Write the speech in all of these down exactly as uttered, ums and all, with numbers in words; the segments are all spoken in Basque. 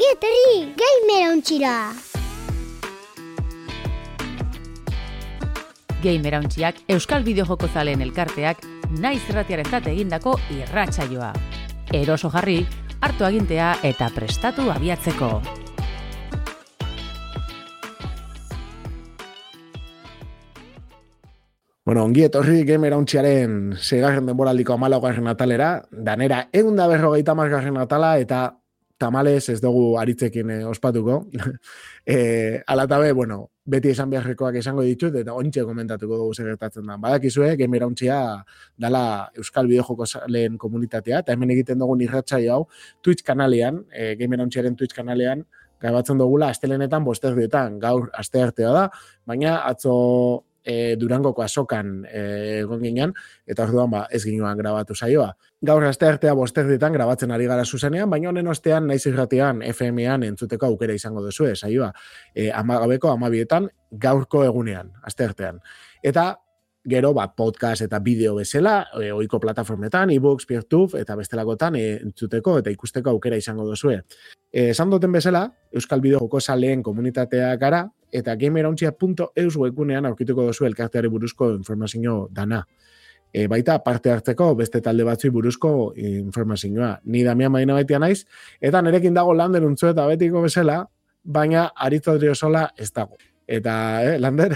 Ongi etorri Gamerauntxira! Gamerauntxiak Euskal Bideojoko zaleen elkarteak naiz irratiarentzat egindako irratsaioa. Eroso jarri, hartu agintea eta prestatu abiatzeko. Bueno, ongi etorri Gamerauntxiaren seigarren denboraldiko hamalaugarren atalera, danera ehun eta berrogeita hamargarren atala eta tamales ez dugu aritzekin eh, ospatuko. eh, Alatabe, bueno, beti esan beharrekoak esango ditut eta ontxe komentatuko dugu zer gertatzen da. Badakizue, Gamerauntxia dala Euskal Bideojoko zaleen komunitatea, eta hemen egiten dugun irratsaio hau Twitch kanalean, eh, Gamerauntxiaren Twitch kanalean, grabatzen dugula astelenetan bosterdietan, gaur asteartea da, baina atzo E, Durangoko azokan e, egon ginen, eta orduan ba, ez ginoan grabatu saioa. Gaur asteartea bosterdietan grabatzen ari gara zuzenean, baina honen ostean naiz irratian, F M-an entzuteko aukera izango duzue saioa. E, amagabeko amabietan gaurko egunean, asteartean. Eta gero ba, podcast eta bideo bezala, e, ohiko plataformetan, e-books, peer-tube, eta bestelakotan e, entzuteko eta ikusteko aukera izango duzue. E, esan duten bezala, Euskal Bideojoko zaleen komunitatea gara, eta gamerauntxia punto eus webgunean aurkituko duzu elkarteari buruzko informazio dana. E, baita parte hartzeko beste talde batzui buruzko informazioa. Ni Damian Maina baitia naiz, eta nerekin dago Lander untzu eta betiko bezala, baina Aritz Odriozola ez dago. Eta, eh, Lander?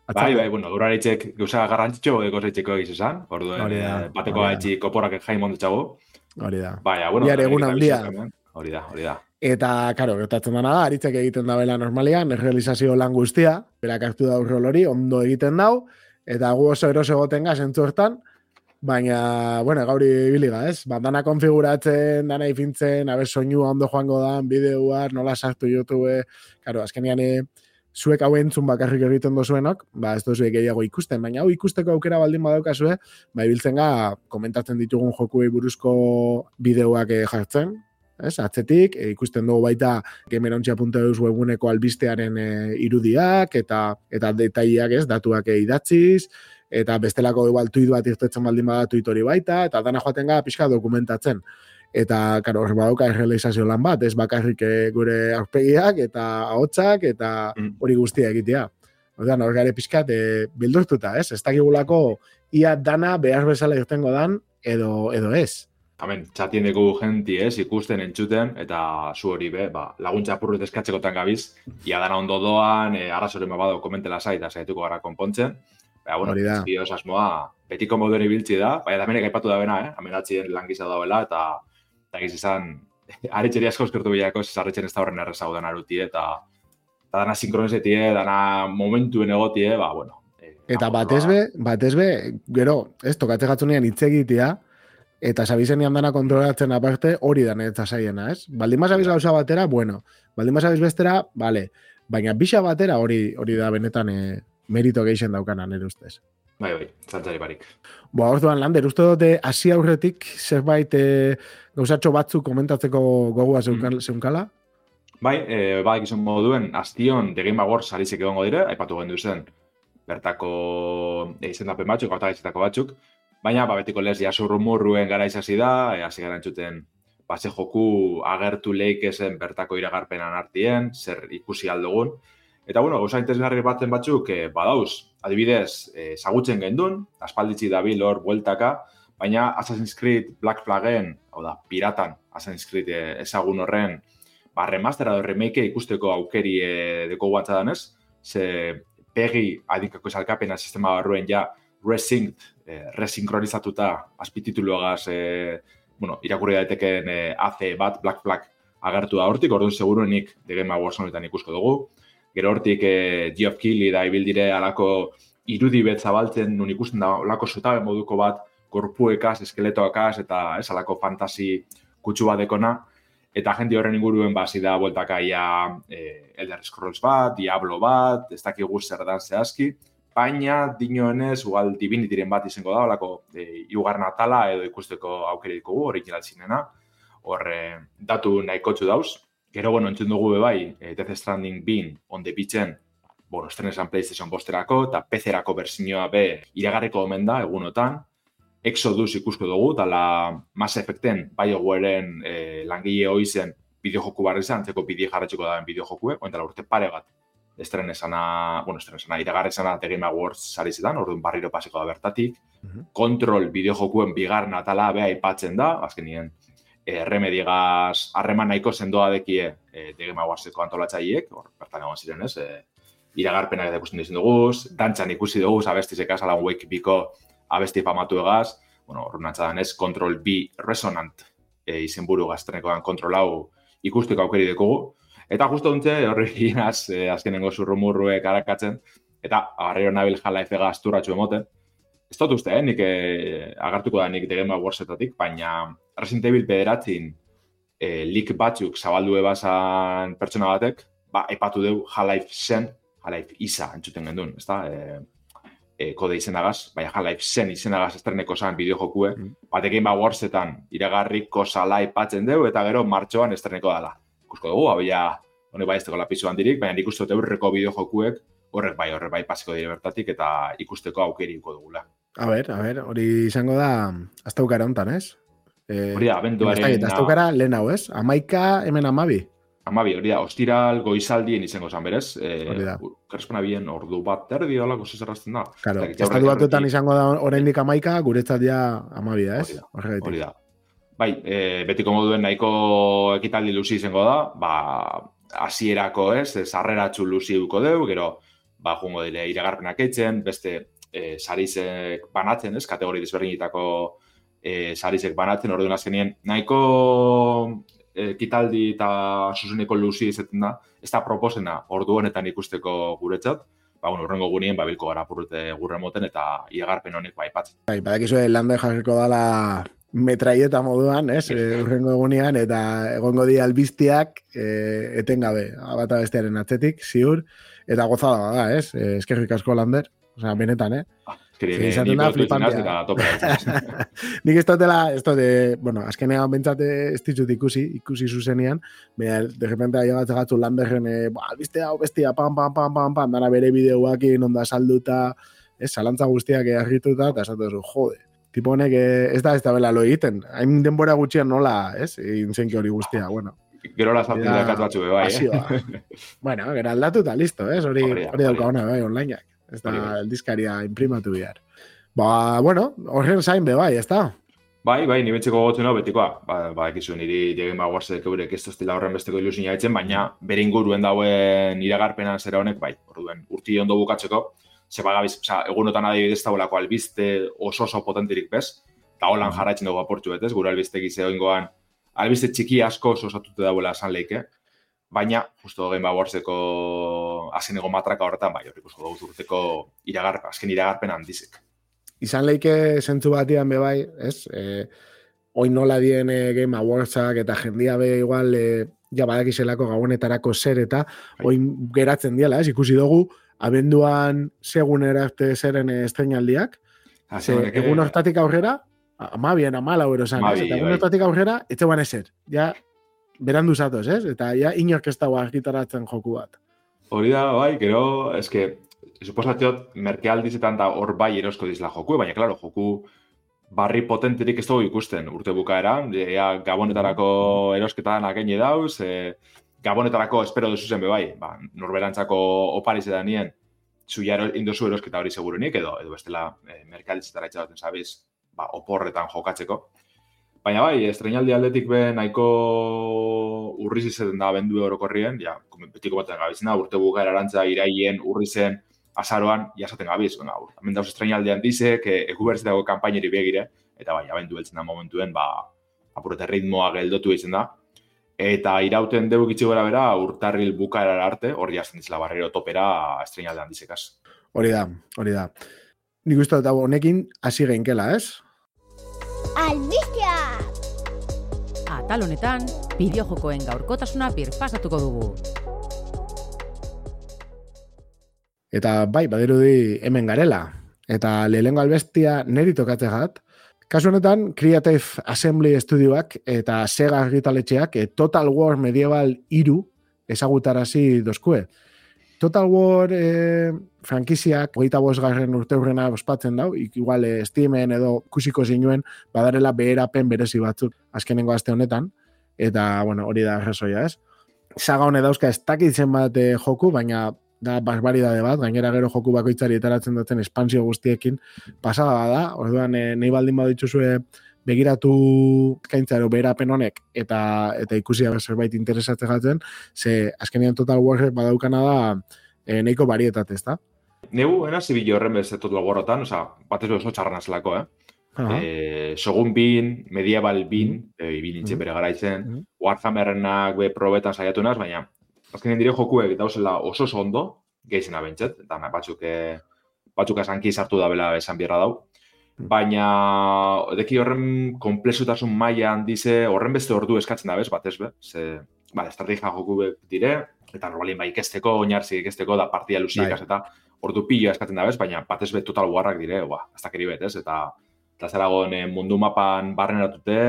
Bai, bai, bueno, duraritzek gauza garrantzitxo gozaitxeko egiz esan, orduen eh, bateko gaitxi koporak jaimon dutxago. Hori da. Baina, bueno, Biar egun handia. Hori da, hori da. Eta, karo, gertatzen dana da, Aritzek egiten da bela normalian, errealizazio lan guztia, berak hartu da urrol hori, ondo egiten dau, eta gu oso eroso egoten gaz entzu hortan, baina, bueno, gauri biliga, ez? Ba, dana konfiguratzen, dana ifintzen, abe soinua ondo joango dan, bideoak, nola sartu YouTube, karo, azkenian zuek hau entzun bakarrik egiten dozuenok, ba, ez dozuek gehiago ikusten, baina hau ikusteko aukera baldin badaukazue, ba, ibiltzen ga, komentatzen ditugun jokuei buruzko bideoak jartzen, ez, atzetik, e, ikusten dugu baita gamerauntxia punto eus webguneko albistearen e, irudiak eta eta detaileak, ez, datuak e, idatziz, eta bestelako igual tuit bat irtetzen baldin bada tuit hori baita, eta dana joaten gara pixka dokumentatzen. Eta, karo, hor badauka errealizazio lan bat, ez bakarrik e, gure aurpegiak eta ahotsak eta hori guztia egitea. Orduan, hor gare pixkat e, bildurtuta, ez? Ez dakigulako ia dana behar bezala irtengo dan edo, edo ez. Hemen, txatien dugu genti ez, ikusten, entzuten, eta zu hori be, ba, laguntza apurret eskatzekotan gabiz, ia dana ondo doan, e, arrazoren babado komentela zait, eta zaituko gara konpontzen. Baina, bueno, ezki osasmoa, betiko moduen ibiltzi da, baina damenek aipatu da bena, eh? Amenatzien langiza dauela, eta eta giz izan, aritxeri asko eskertu bilako, zesarretxen ez da horren errezau dana arutie, eta eta dana sinkronezetie, dana momentuen egotie, ba, bueno. E, eta batezbe, batezbe, gero, ez, tokatze gatzunean hitz egitea, eta sabizenian dana kontrolatzen aparte hori da netza zaiena, ez? Baldin mazabiz gauza batera, bueno. Baldin mazabiz bestera, vale. Baina bixa batera hori hori da benetan e, merito geixen daukana nire ustez. Bai, bai, zantzari barik. Boa, orduan, Lander, uste dute hasi aurretik zerbait e, gauzatxo batzuk komentatzeko gogua mm. zeunkala? Bai, e, bai, gizon moduen, aztion The Game Awards arizek egongo dire, aipatu gendu zen, bertako e, izendapen batzuk, autagaizetako batzuk, baina, ba, betiko lez, jaso rumorruen gara izasi da, e, hasi gara entzuten, base joku agertu leikezen bertako iragarpenan artien, zer ikusi aldogun. Eta, bueno, gauza interesgarri batzen batzuk, e, badauz, adibidez, e, zagutzen gendun, aspalditzi dabil hor bueltaka, baina Assassin's Creed Black Flagen, hau da, piratan Assassin's Creed e, ezagun horren, ba, remastera edo remake ikusteko aukeri e, deko guantzadanez, ze pegi adikako esalkapena sistema barruen ja resynced, eh, resinkronizatuta azpitituluagaz, eh, bueno, irakurri daiteken eh, A C bat, Black Flag agertu da hortik, orduan seguruenik The Game Awards honetan ikusko dugu. Gero hortik eh, Geoff Keighley da ibildire alako irudi bet zabaltzen, nun ikusten da alako zutabe moduko bat, korpuekaz, eskeletoakaz, eta ez alako fantasi kutsu bat dekona. Eta jenti horren inguruen basi da bueltaka ia eh, Elder Scrolls bat, Diablo bat, ez dakigu zer dan zehazki, baina dinoenez, ugal Divinityren bat izango da, olako e, iugarren atala edo ikusteko aukeriko gu, original zinena, hor e, datu nahikotxu dauz. Gero, bueno, entzun dugu bebai, e, Death Stranding bin, on the beachen, bueno, estrenesan PlayStation bosterako, eta P C-erako bersinioa be iragarriko omen da, egunotan. Exodus ikusko dugu, dala Mass Effecten, BioWaren e, langile hoi zen bideojoku barri izan, antzeko bideo jarratxiko daben bideojokue, ointala urte pare bat, estren esana, bueno, estren esana, iragarri esana The Game Awards sari zidan, orduan barriro paseko da bertatik, uh-huh. Kontrol bideojokuen bigarren atala beha aipatzen da, azkenien, e, Remedigaz harreman nahiko sendoa dekie e, The Game Awardseko antolatzaileek, hor, bertan egon ziren ez, e, iragarpenak eta ikusten dizen duguz, dantzan ikusi duguz, abestizekaz, Alan Wake biko abesti famatu egaz, bueno, hor nantzadan ez, Control B Resonant e, izenburu gaztenekoan kontrol hau ikusteko aukeri dekogu. Eta justo duntze, horri ginaz, e, azkenengo zurrumurruek arakatzen, eta agarrero nabil Half-Life gazturratxu emoten. Ez dut uste, eh? nik eh, agartuko da nik The Game Awardsetatik, baina Resident Evil bederatzin eh, lik batzuk zabaldu ebazan pertsona batek, ba, epatu deu Half-Life zen, Half-Life isa entzuten gendun, ez da? E, e, kode izenagaz, baina Half-Life zen izenagaz estreneko zan bideojokue, mm. ba, The Game Awardsetan iragarriko zala epatzen deu, eta gero martxoan estreneko dala. Ikusko dugu, abia, honek bai ez teko lapizu handirik, baina nik uste dut eurreko bideojokuek, horrek bai, horrek bai pasiko dire bertatik, eta ikusteko aukeriko dugula. A ber, a ber, hori izango da, astaukara hontan, ez? Eh, hori da, abenduaren... Astaukara lehen hau, ez? Amaika, hemen amabi. Amabi, hori da, ostiral goizaldien izango zan, berez? Hori da. Kerespana bien ordu bat erdi, olako zezerrazten da. Claro, estatu batuetan izango da oraindik amaika, guretzat ja amabi da, ez? Hori da. Bai, e, betiko moduen nahiko ekitaldi luzi izango da, ba, hasierako ez, sarreratxu luzi duko deu, gero, ba, jungo dire iragarpenak eitzen, beste e, sarizek banatzen, ez, kategori desberdinetako e, sarizek banatzen, orduan azkenien, nahiko ekitaldi eta zuzeneko luzi izaten da, ez da proposena ordu honetan ikusteko guretzat, ba, bueno, urrengo gunien, ba, bilko gara purrute gurre moten eta iragarpen honek ba, ipatzen. Bai, badakizue landa jarriko dala metraieta moduan, ez, e, urrengo egunean, eta egongo di albiztiak e, etengabe, bata bestearen atzetik, ziur, eta gozada da, ez, e, eskerrik asko Lander, osea, benetan, eh? Ah, eskeri, ni botu itzinaz eta topera. Nik ez dutela, ez dute, bueno, azkenean bentsate ez ditut ikusi, ikusi zuzenean, baina, de repente aia bat egatzu Landerren, e, ba, albizte hau bestia, pam, pam, pam, pam, pam, dara bere bideuakin, onda salduta, ez, salantza guztiak egarrituta, eta esatu zu, jode. Tipo honek ez da ez da bela lo egiten. Hain denbora gutxian nola, ez? Intzenki hori guztia, bueno. Gero la sartu da kat batzu bai, eh? Bueno, gero aldatu eta listo, ez? Hori hori dauka ona bai onlineak. Ez da eldizkaria imprimatu behar. Ba, bueno, horren zain be bai, ez da? Bai, bai, ni betxeko gotzen hau betikoa. Ba, ba ekizu niri The Game Awardsek eurek ez toztila horren besteko ilusina etzen, baina bere inguruen dauen iragarpenan zera honek, bai, orduen urti ondo bukatzeko, zeba gabiz, oza, egunotan adibidez taulako albiste oso oso potenterik bez, eta holan jarraitzen dugu aportxu betez, gure albiste gize oingoan, albiste txiki asko oso osatute dauela esan leike, baina, justo Game Awardseko azkenego matraka horretan, bai, horrik usko dugu urteko iragarpen, azken iragarpen handizik. Izan leike zentzu batian be bai, ez? E, oin nola dien e, Game Awardsak eta jendia be igual, e, ja badakizelako gabonetarako zer eta, oin geratzen diela, ez? Ikusi dugu, abenduan segun erarte zeren estrenaldiak, ze, egun hortatik aurrera, amabien, amala euro zan, eta egun hortatik aurrera, etxeban ezer, ja, berandu zatoz, ez? Eta ja, inork ez dago argitaratzen joku bat. Hori da, bai, gero, eske, suposatziot, merkealdizetan da hor bai erosko dizla joku, baina, klaro, joku barri potenterik ez dugu ikusten urte bukaeran, ja, gabonetarako erosketan akeine dauz, e, Gabonetarako espero duzu zen bebai, ba, norberantzako opariz edan nien, zuia indozu erosketa hori segurunik, edo edo bestela e, merkalditzetara itxadoten zabiz, ba, oporretan jokatzeko. Baina bai, estrenaldi aldetik be nahiko urriz izaten da bendu orokorrien, ja, betiko baten gabizena, urte bukaera arantza iraien, urrizen, azaroan, jasaten gabiz. Bueno, hemen dauz estrenaldian dizek, e, ekubertzetako kampaineri begire, eta bai, abendu beltzen da momentuen, ba, apurete ritmoa geldotu egiten da, eta irauten dugu gitzi gara bera urtarril bukaerara arte, hori jazten dizela barrero topera estrenaldean dizekaz. Hori da, hori da. Nik uste dut honekin hasi geinkela, ez? Albistea! Atal honetan, bideojokoen gaurkotasuna birpasatuko dugu. Eta bai, badirudi hemen garela. Eta lehenengo albestia neri tokatzegat, kasu honetan, Creative Assembly Studioak eta Sega argitaletxeak e, Total War Medieval hiru ezagutarazi dozkue. Total War e, frankiziak hogeita bosgarren urteurrena ospatzen dau, igual e, Steamen edo kusiko zinuen badarela beherapen berezi batzuk azkenengo aste honetan. eta, bueno, hori da arrazoia, ez? Saga hone dauzka ez dakitzen bat eh, joku, baina da barbaridade bat, gainera gero joku bakoitzari etaratzen duten espansio guztiekin pasada da, orduan eh, nahi baldin badituzue begiratu kaintzaro beherapen honek eta eta ikusi zerbait interesatzen jatzen, ze azkenean Total Warrek badaukana da e, nahiko varietate, ezta? Neu, ena zibili horren beste Total Warrotan, oza, batez oso txarran zelako, eh? Uh-huh. E, Sogun bin, Medieval bin, uh-huh. e, ibin nintzen uh-huh. bere garaitzen, uh-huh. Warhammerrenak be probetan saiatu naz, baina azkenean dire jokuek dauzela oso oso ondo, gehizena bentset, eta batzuk, e, batzuk esanki sartu da bela esan bierra dau. Baina, deki horren komplexutasun maila handize, horren beste ordu eskatzen da bez, batez be. Ze, bale, estrategia joku dire, eta normalin bai ikesteko, oinarzi ikesteko, da partida luziek eta ordu pilo eskatzen da bez, baina batez be Total Warrak dire, ba, ez da keri bet, ez? Eta, eta zeragon mundu mapan barreneratute,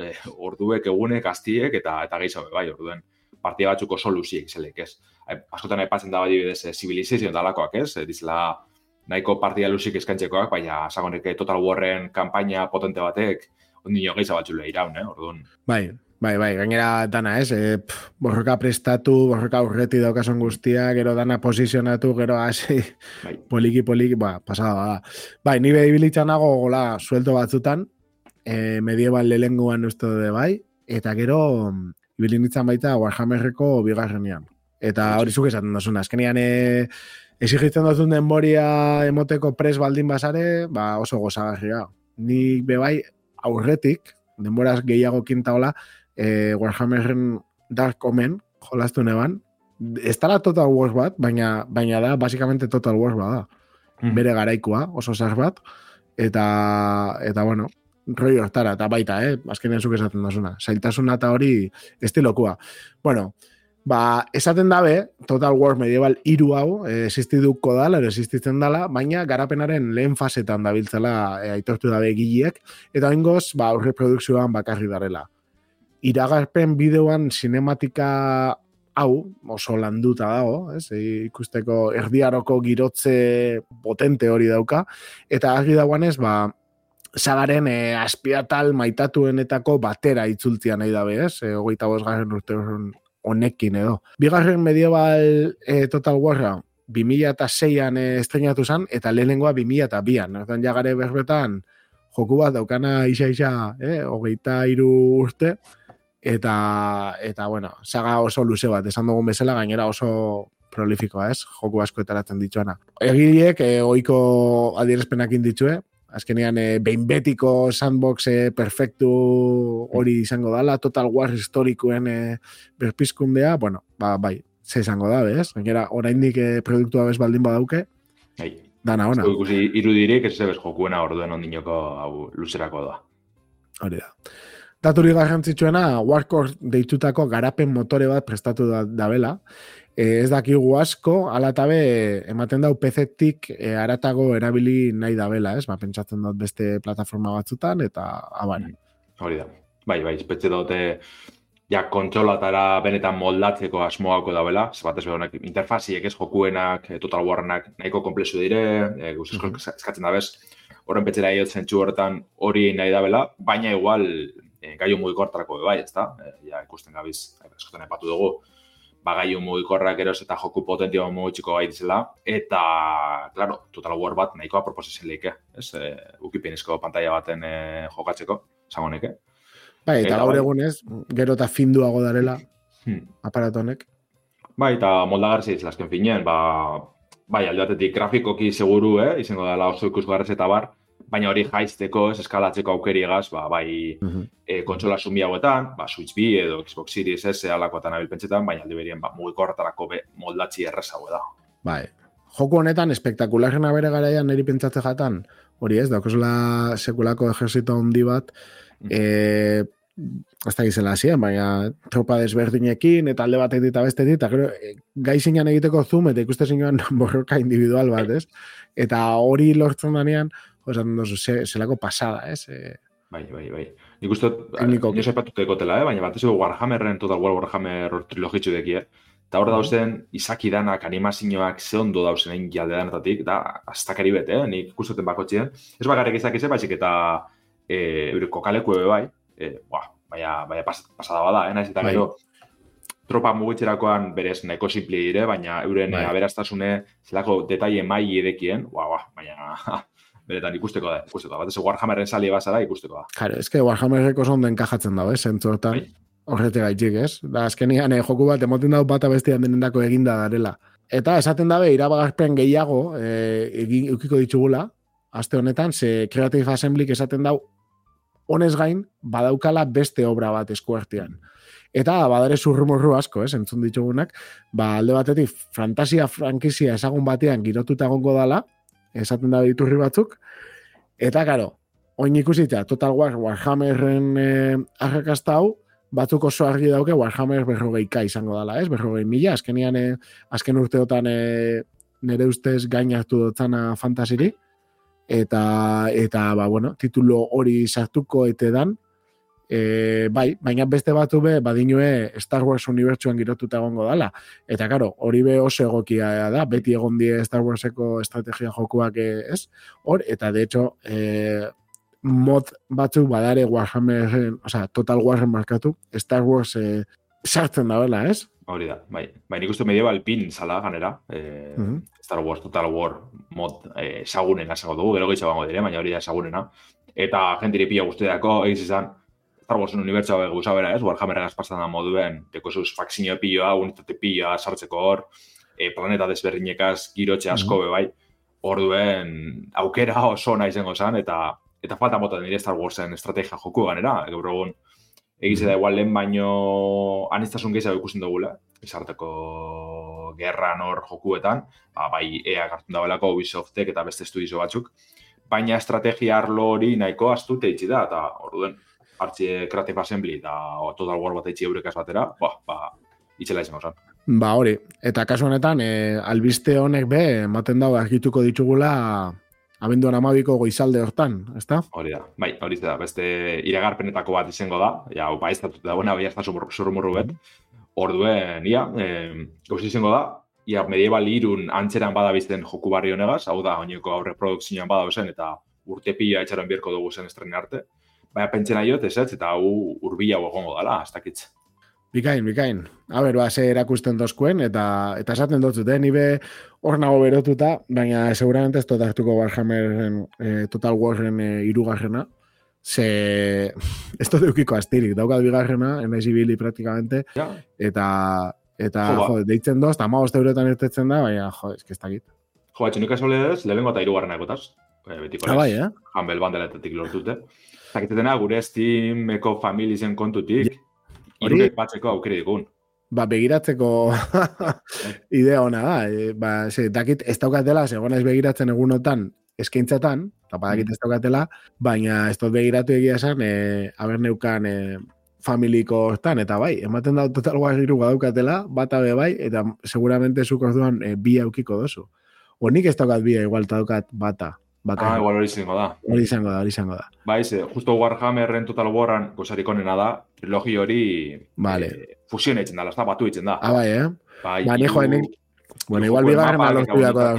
e, orduek, egunek, astiek, eta eta gehiago, bai, orduen partida batzuk oso luziek izelek, ez? Askotan aipatzen da bai bidez, Civilization dalakoak, ez? Dizela, nahiko partida lusik eskaintzekoak, baina sagonek Total Warren kanpaina potente batek ondino gehiago batzule iraun, eh, orduan. Bai, bai, bai, gainera dana, ez, e, pff, borroka prestatu, borroka urreti daukasun guztia, gero dana posizionatu, gero hasi, bai. poliki, poliki, ba, pasada da. Bai, ni behibilitzan nago, gola, suelto batzutan, e, medieval lehenguan uste de bai, eta gero, ibilinitzan baita Warhammerreko bigarrenean. Eta hori zuk esaten dozuna, azkenean, e, exigitzen duzun denboria emoteko pres baldin bazare, ba oso gozagarria. Ni bebai aurretik, denboraz gehiago kintaola, e, Warhammerren Dark Omen, jolastu neban, ez dara Total Wars bat, baina, baina da, basikamente Total Wars bat da. Mm. Bere garaikua, oso zar bat, eta, eta bueno, roi hortara, eta baita, eh? Azkenean zuk esaten duzuna. Zailtasuna eta hori estilokua. Bueno, ba, esaten dabe, Total War Medieval hiru hau, eh, existituko dala, ero existitzen dala, baina garapenaren lehen fasetan dabiltzela eh, aitortu dabe egileek, eta oingoz, ba, aurre produkzioan bakarri darela. Iragarpen bideoan sinematika hau, oso landuta dago, ez? E, ikusteko erdiaroko girotze potente hori dauka, eta argi dagoanez, ba, sagaren e, azpiatal maitatuenetako batera itzultzia nahi dabe, ez? E, hogeita bosgarren urte honekin edo. Bigarren medieval e, Total Warra bi mila seian e, estrenatu zen, eta lehenengoa bi mila bian. Erdan jagare berbetan joku bat daukana isa-isa, eh, hogeita hiru urte, eta, eta bueno, saga oso luze bat, esan dugun bezala, gainera oso prolifikoa, ez? Joku asko etaratzen dituana. Egileek, e, oiko adierazpenakin ditue, azkenean e, behin betiko sandbox e, perfektu hori izango dala, Total War historikoen e, berpizkundea, bueno, ba, bai, ze izango da, bez? Gainera, oraindik e, produktua bez baldin badauke, hey. Dana ona. Ikusi irudirik, ez zebez jokuena orduen ondinoko hau luzerako da. Hori da. Daturi garrantzitsuena, Warcore deitutako garapen motore bat prestatu da, dabela. E, ez dakigu asko, ala tabe ematen dau P C-tik e, aratago erabili nahi dabela, ez? Ba, pentsatzen dut beste plataforma batzutan, eta abana. Hori da. Bai, bai, espetxe dute ja kontsolatara benetan moldatzeko asmoako dabela, zebatez behonak interfaziek ez jokuenak, Total Warrenak nahiko komplexu dire, e, guztizko uh-huh. eskatzen dabez, horren petxera iot zentsu horretan hori nahi dabela, baina igual e, gaiu mugikortarako bai, ez da? E, ja, ikusten gabiz, eskoten epatu dugu, ba, gaiu mugikorrak eros eta joku potentio mugitxiko gai dizela, eta, claro, Total War bat nahikoa proposezen leike, ez? E, ukipenizko pantalla baten e, jokatzeko, zangoneke. Bai, eta gaur egunez, gero eta finduago darela hmm. aparatonek. Bai, eta moldagarri izan azken finean, ba, bai, alde batetik grafikoki seguru, eh, izango dela oso ikusgarrez eta bar, baina hori jaizteko, ez eskalatzeko aukeriegaz, ba, bai, uh-huh. e, kontsola sumi hauetan, ba, Switch B edo Xbox Series S alakoetan abilpentsetan, baina alde berien, ba, mugikorretarako be moldatzi errezago da. Bai, joku honetan, espektakularrena bere garaian niri pentsatze jatan, hori ez, daukosela sekulako ejerzito handi bat, eh, hasta gizela hasien, baina tropa desberdinekin, eta alde batetik eta bestetik, eta gero, gai zinean egiteko zoom, eta ikuste zinean borroka individual bat, ez? Eta hori lortzen danean, osan dozu, zelako pasada, ez? E... Bai, bai, bai. Nik uste, nio sepatuteko tela, eh? Baina bat ez Warhammerren, Total War Warhammer trilogitzu deki, eh? Eta hor dauzen, izaki danak, animazioak ze ondo dauzen egin jalde danetatik, da, astakari bet, eh? Nik ikustuten bakotxien. Ez bakarrik izak izan, baizik eta e, kokaleku ebe bai, E, ba, baina, baina pas, pasada bada, eh? Naiz eta gero, tropa mugitzerakoan berez nahiko simple dire, baina euren bai. aberastasune zelako detaile mai edekien, ua, ua, baina beretan ikusteko da, ikusteko da. Bat ez Warhammerren sali bazara ikusteko da. Claro, es que Warhammerreko zonden enkajatzen dago, eh, zentzu hortan. Horrete gaitxik, ez? Da, azkenian eh, joku bat emoten dago bata bestian denendako eginda darela. Eta esaten dabe, irabagarpen gehiago eh, egin eukiko ditugula, aste honetan, ze Creative Assemblyk esaten dau, honez gain, badaukala beste obra bat eskuartean. Eta badare zurrumurru asko, ez, entzun ditugunak, ba, alde batetik, fantasia frankizia ezagun batean girotuta egongo dala, esaten da iturri batzuk, eta, karo, oin ikusita, Total War, Warhammerren eh, arrakasta hau, batzuk oso argi dauke Warhammer berrogeika izango dala, ez, berrogei mila, azkenian, eh, azken urteotan eh, nire ustez gain hartu dotzana fantasiri, eta, eta, ba, bueno, titulo hori sartuko etedan, E, bai, baina beste batu be badinue Star Wars unibertsuan girotuta egongo dala. Eta karo, hori be oso egokia da, beti egon die Star Warseko estrategia jokuak ez, hor, eta de hecho e, mod batzuk badare Warhammer, o sea, Total Warren markatu, Star Wars e, sartzen da bela, ez? Hori da, bai. Bai, nik uste medieval pin zala ganera, e, uh-huh. Star Wars Total War mod e, esagunena esango dugu, gero gehiago bango dire, baina hori da esagunena. Eta jentiri pila guztiako egiz izan, Star Warsen unibertsoa gauza bera, ez? Warhammerregaz pasan da moduen, dekozuz faksinio piloa, unitate piloa sartzeko hor, e, planeta desberdinekaz girotxe asko be bai, orduen aukera oso nahi zengo zan, eta eta falta mota nire Star Warsen estrategia joku ganera, gaur egun egize da igual lehen baino aniztasun gehiago ikusten dugula, izarteko gerran hor jokuetan, ba, bai ea hartun dabelako Ubisoftek eta beste estudizo batzuk, baina estrategia arlo hori nahiko astute itxi da, eta orduen hartxe Creative Assembly eta Total War bat eitzi eurekaz batera, ba, ba, itxela izango zan. Ba, hori. Eta kasu honetan, e, albiste honek be, ematen dago argituko ditugula abenduan amabiko goizalde hortan, ezta? Hori da, bai, hori da, beste iragarpenetako bat izango da, ja, opa ez da buena, bai ez da zurrumurru bet, orduen, ia, e, gauzi izango da, ia, medieval irun antzeran badabizten joku barri honegaz, hau da, oineko aurre produkzioan badabezen, eta urte pila etxaron bierko dugu zen estrene arte, baina pentsena jot, ez ez, eta hau urbila egongo dala, ez dakitz. Bikain, bikain. A ber, ba, ze erakusten dozkuen, eta eta esaten dotzut, eh? Nibe hor nago berotuta, baina seguramente ez dut hartuko Warhammerren, eh, Total Warren eh, irugarrena, ze ez dut eukiko astirik, daukat bigarrena, enaiz ibili praktikamente, ja. eta, eta jo, jo, deitzen doz, eta amagoz eurotan irtetzen da, baina, jo, ez que ez dakit. Jo, batxunik asolez, lehenengo eta irugarrena ekotaz, betiko ah, bai, eh? Humble Bandeletetik lortute. Zakitetena, gure Steameko familizen kontutik, irurek batzeko aukere dikun. Ba, begiratzeko idea hona da. E, ba, ze, dakit ez daukatela, segon ez begiratzen egunotan eskaintzatan, eta badakit ez daukatela, baina ez dut begiratu egia esan, e, haber neukan e, familiko hortan, eta bai, ematen da Total War iru badaukatela, bata be bai, eta seguramente zuk orduan e, bi aukiko dozu. Honik ez daukat bia, igual daukat bata. Bakar. Ah, igual hori izango da. Hori izango da, hori izango da. Bai, ze, justo Warhammerren Total Warran gozarik onena da, trilogi hori vale. eh, fusione itzen da, lasta batu itzen da. Ah, bai, eh? Bai, ba, nijo, enik... Bueno, igual bigarren alortu dako da.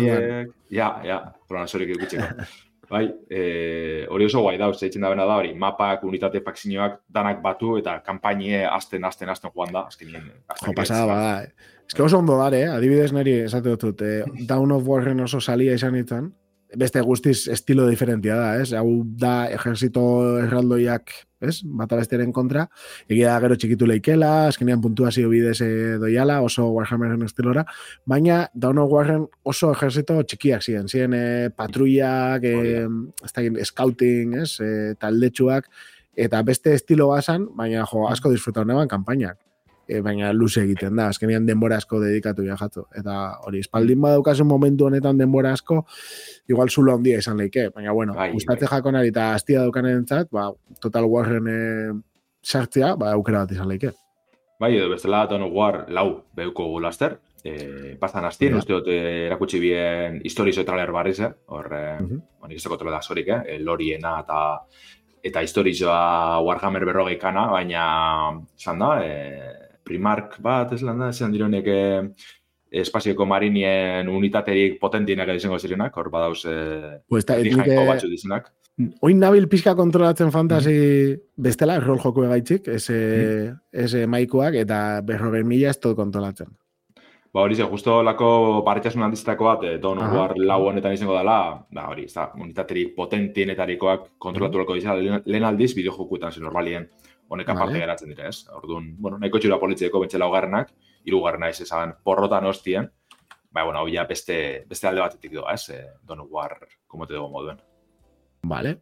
Ja, ja, programazorik ikutxeko. Bai, eh, hori oso guai da, uste itzen da bena da, hori, mapak, unitate faksinioak, danak batu, eta kampainie azten, azten, azten joan da, azkenien. Jo, pasada, bada, eh? Ez que oso ondo dare, eh? Adibidez niri, esate dut, eh, Dawn of Warren oso salia izan itzan, beste guztiz estilo diferentia da, ez? Hau da ejerzito erraldoiak, ez? Bata bestiaren kontra. Egia da gero txikitu leikela, azkenean puntuazio bidez doiala, oso Warhammeren estilora, baina Dawn of Warren oso ejerzito txikiak ziren. Ziren eh, patruiak, eh, oh, scouting, ez? Eh, taldetxuak, eta beste estilo bazan, baina jo, asko disfrutau neban kanpainak. E, baina luze egiten da, azkenean denbora asko dedikatu jajatu. Eta hori, espaldin badaukasun momentu honetan denbora asko, igual zulo handia izan leike. Baina, bueno, bai, gustatze bai. Jakonari eta astia daukanen entzat, ba, Total Warren e, sartzea, ba, aukera bat izan leike. Bai, edo bestela Dawn of War lau behuko gulaster, e, pastan astien, ja. Uste dut erakutsi bien historizo traler barriz, eh? Hor, eh, uh-huh. Bueno, izteko tole da zorik, eh? Loriena eta eta historizoa Warhammer berrogeikana, baina, zan da, e, Primark bat, ez lan da, esan dironek eh, espazioko marinien unitaterik potentienak izango zirenak, hor badauz eh, pues dijainko batzu dizenak. Oin nabil pixka kontrolatzen fantasi mm-hmm. bestela, rol joku egaitzik, ese, mm-hmm. ese maikuak, eta berrogei mila ez tot kontrolatzen. Ba hori ze, justo lako barritasun handizitako bat, eh, Dawn of War lau honetan izango dela, ba hori, ez da, unitaterik potentienetarikoak kontrolatu lako izan, lehen, lehen aldiz bideojokuetan zen normalien honek aparte vale. Geratzen dira, ez? Orduan, bueno, nahiko txura politzeko bentsela hogarrenak, hirugarrena ez esan porrotan hostien, ba, bueno, hau ja beste, beste alde batetik doa, ez? Eh, Dawn of War, komote dugu moduen. Vale.